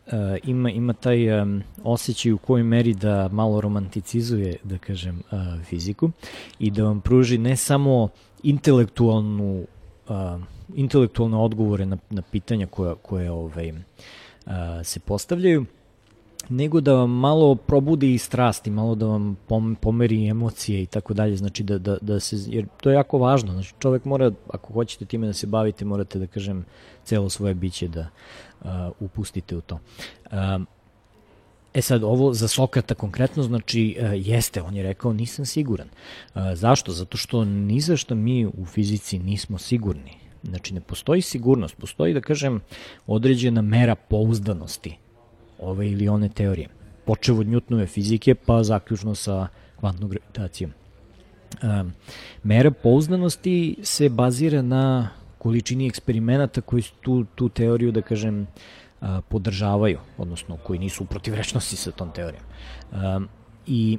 Uh, ima, ima taj um, osjećaj u kojoj meri da malo romanticizuje, da kažem, uh, fiziku i da vam pruži ne samo intelektualnu, uh, intelektualne odgovore na, na pitanja koja, koje ovaj, uh, se postavljaju, nego da vam malo probudi i strasti, malo da vam pomeri emocije i tako dalje, znači da, da, da se, jer to je jako važno, znači čovek mora, ako hoćete time da se bavite, morate, da kažem, celo svoje biće da uh, upustite u to. Uh, e sad, ovo za Sokrata konkretno, znači, uh, jeste, on je rekao, nisam siguran. Uh, zašto? Zato što ni za što mi u fizici nismo sigurni. Znači, ne postoji sigurnost, postoji, da kažem, određena mera pouzdanosti ove ili one teorije. Počev od Newtonove fizike, pa zaključno sa kvantnom gravitacijom. Um, mera pouzdanosti se bazira na količini eksperimenata koji su tu, tu teoriju, da kažem, a, podržavaju, odnosno koji nisu u protivrečnosti sa tom teorijom. A, I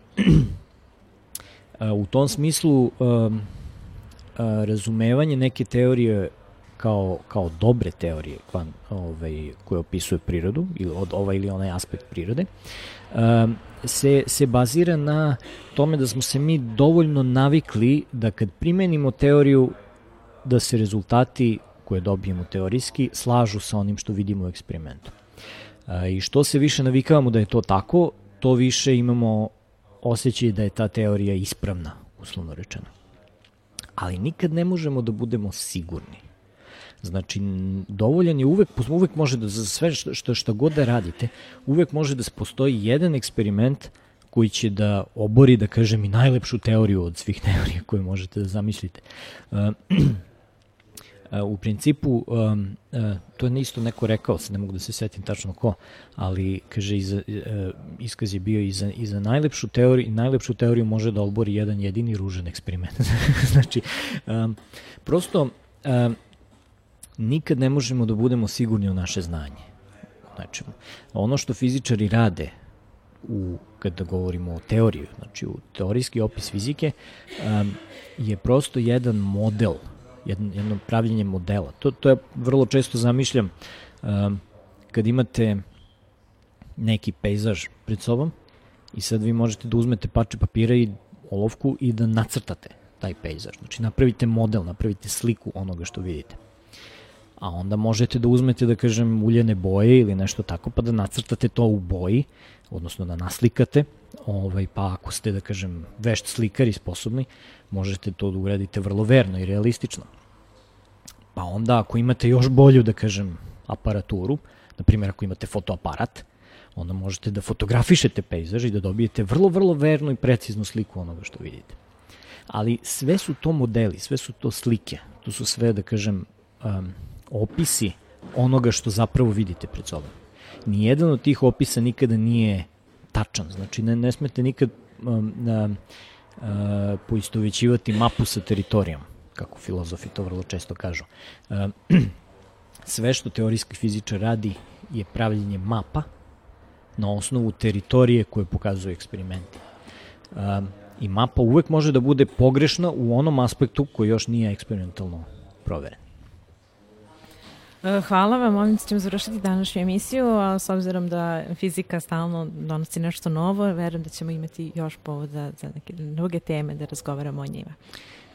a, u tom smislu a, a, razumevanje neke teorije kao, kao dobre teorije kvan, ovaj, koje opisuju prirodu, ili od ovaj ili onaj aspekt prirode, a, se, se bazira na tome da smo se mi dovoljno navikli da kad primenimo teoriju da se rezultati koje dobijemo teorijski slažu sa onim što vidimo u eksperimentu. A, I što se više navikavamo da je to tako, to više imamo osjećaj da je ta teorija ispravna, uslovno rečeno. Ali nikad ne možemo da budemo sigurni. Znači, dovoljan je uvek, uvek može da, za sve što, što, što god da radite, uvek može da postoji jedan eksperiment koji će da obori, da kažem, i najlepšu teoriju od svih teorija koje možete da zamislite. Uh, u principu, um, uh, to je isto neko rekao, sad ne mogu da se setim tačno ko, ali kaže, iza, uh, iskaz je bio i za, i za najlepšu teoriju, najlepšu teoriju može da obori jedan jedini ružan eksperiment. Znači, um, prosto, um, nikad ne možemo da budemo sigurni u naše znanje. Znači, ono što fizičari rade u, kada govorimo o teoriji, znači u teorijski opis fizike, um, je prosto jedan model, jedno, jedno pravljenje modela. To, to je vrlo često zamišljam um, kad imate neki pejzaž pred sobom i sad vi možete da uzmete parče papira i olovku i da nacrtate taj pejzaž. Znači napravite model, napravite sliku onoga što vidite. A onda možete da uzmete, da kažem, uljene boje ili nešto tako, pa da nacrtate to u boji, odnosno da naslikate, ovaj, pa ako ste, da kažem, vešt slikari sposobni, možete to da uradite vrlo verno i realistično. Pa onda ako imate još bolju, da kažem, aparaturu, na primjer ako imate fotoaparat, onda možete da fotografišete pejzaž i da dobijete vrlo, vrlo vernu i preciznu sliku onoga što vidite. Ali sve su to modeli, sve su to slike, to su sve, da kažem, um, opisi onoga što zapravo vidite pred sobom. Nijedan od tih opisa nikada nije tačan, znači ne, ne smete nikad um, um, uh, poistovećivati mapu sa teritorijom, kako filozofi to vrlo često kažu. Um, sve što teorijski fizičar radi je pravljenje mapa na osnovu teritorije koje pokazuju eksperimenti. Um, I mapa uvek može da bude pogrešna u onom aspektu koji još nije eksperimentalno proveren. Hvala vam, ovim ćemo završiti današnju emisiju, a s obzirom da fizika stalno donosi nešto novo, verujem da ćemo imati još povoda za neke druge teme da razgovaramo o njima.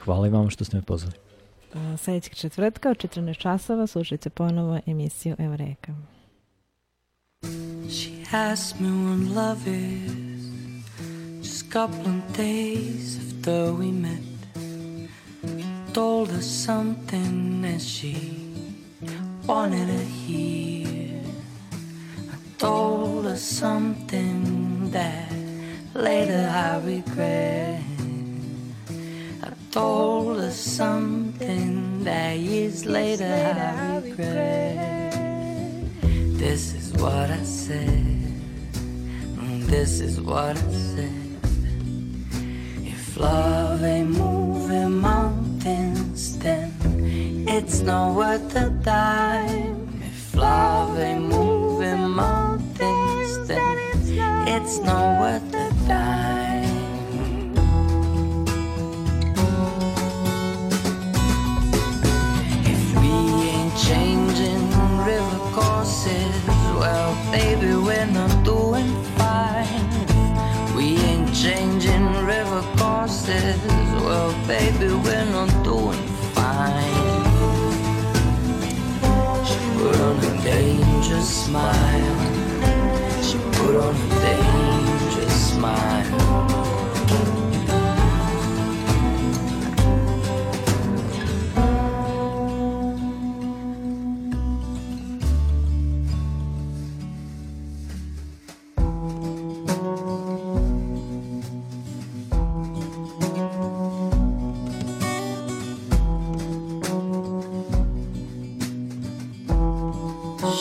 Hvala i vam što ste me pozvali. Sljedećeg četvrtka u četrnaest časova slušajte ponovo emisiju Eureka. She asked me when love is just a couple of days after we met. Told her something that she wanted to hear. I told her something that later I regret. I told her something that years later I regret. This is what I said. This is what I said. If love ain't moving mountains, then it's not worth a dime. If love ain't moving mountains, then it's not worth a dime. If we ain't changing river courses, well, baby, we're not doing fine. If we ain't changing river courses, well, baby, we're not doing fine. Put on a dangerous smile. She put on a dangerous smile.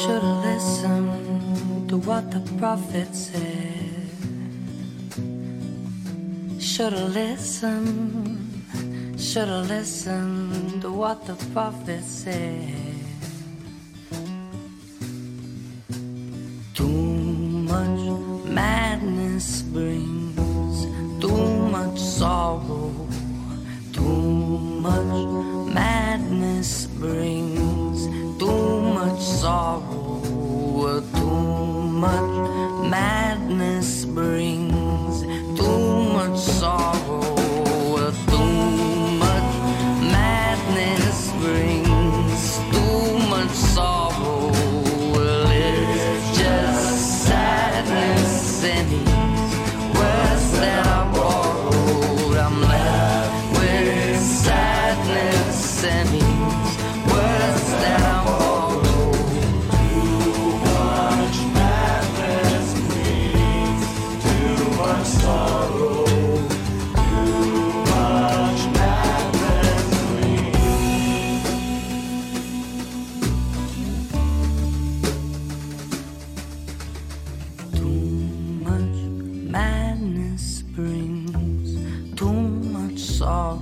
Should've listened to what the prophet said. Should've listened, should've listened to what the prophet said. Madness brings too much sorrow. Too much madness brings too much sorrow. Too much madness brings too much sorrow. Too much madness brings too much sorrow. Well, it's just sadness and these words that I borrowed. I'm left with sadness and these words that I borrowed. Too much madness brings too much sorrow. Too much madness brings. Too much madness brings too much sorrow.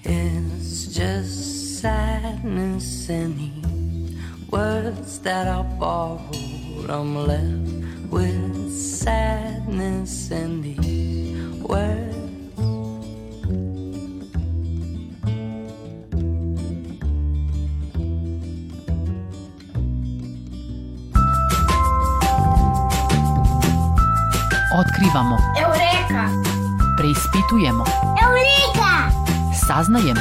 It's just sadness and these words that I borrowed. I'm left with sadness and these words. Otkrivamo, Eureka! preispitujemo, Eureka! saznajemo.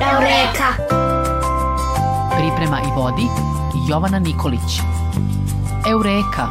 Eureka! Priprema i vodi Jovana Nikolić. Eureka!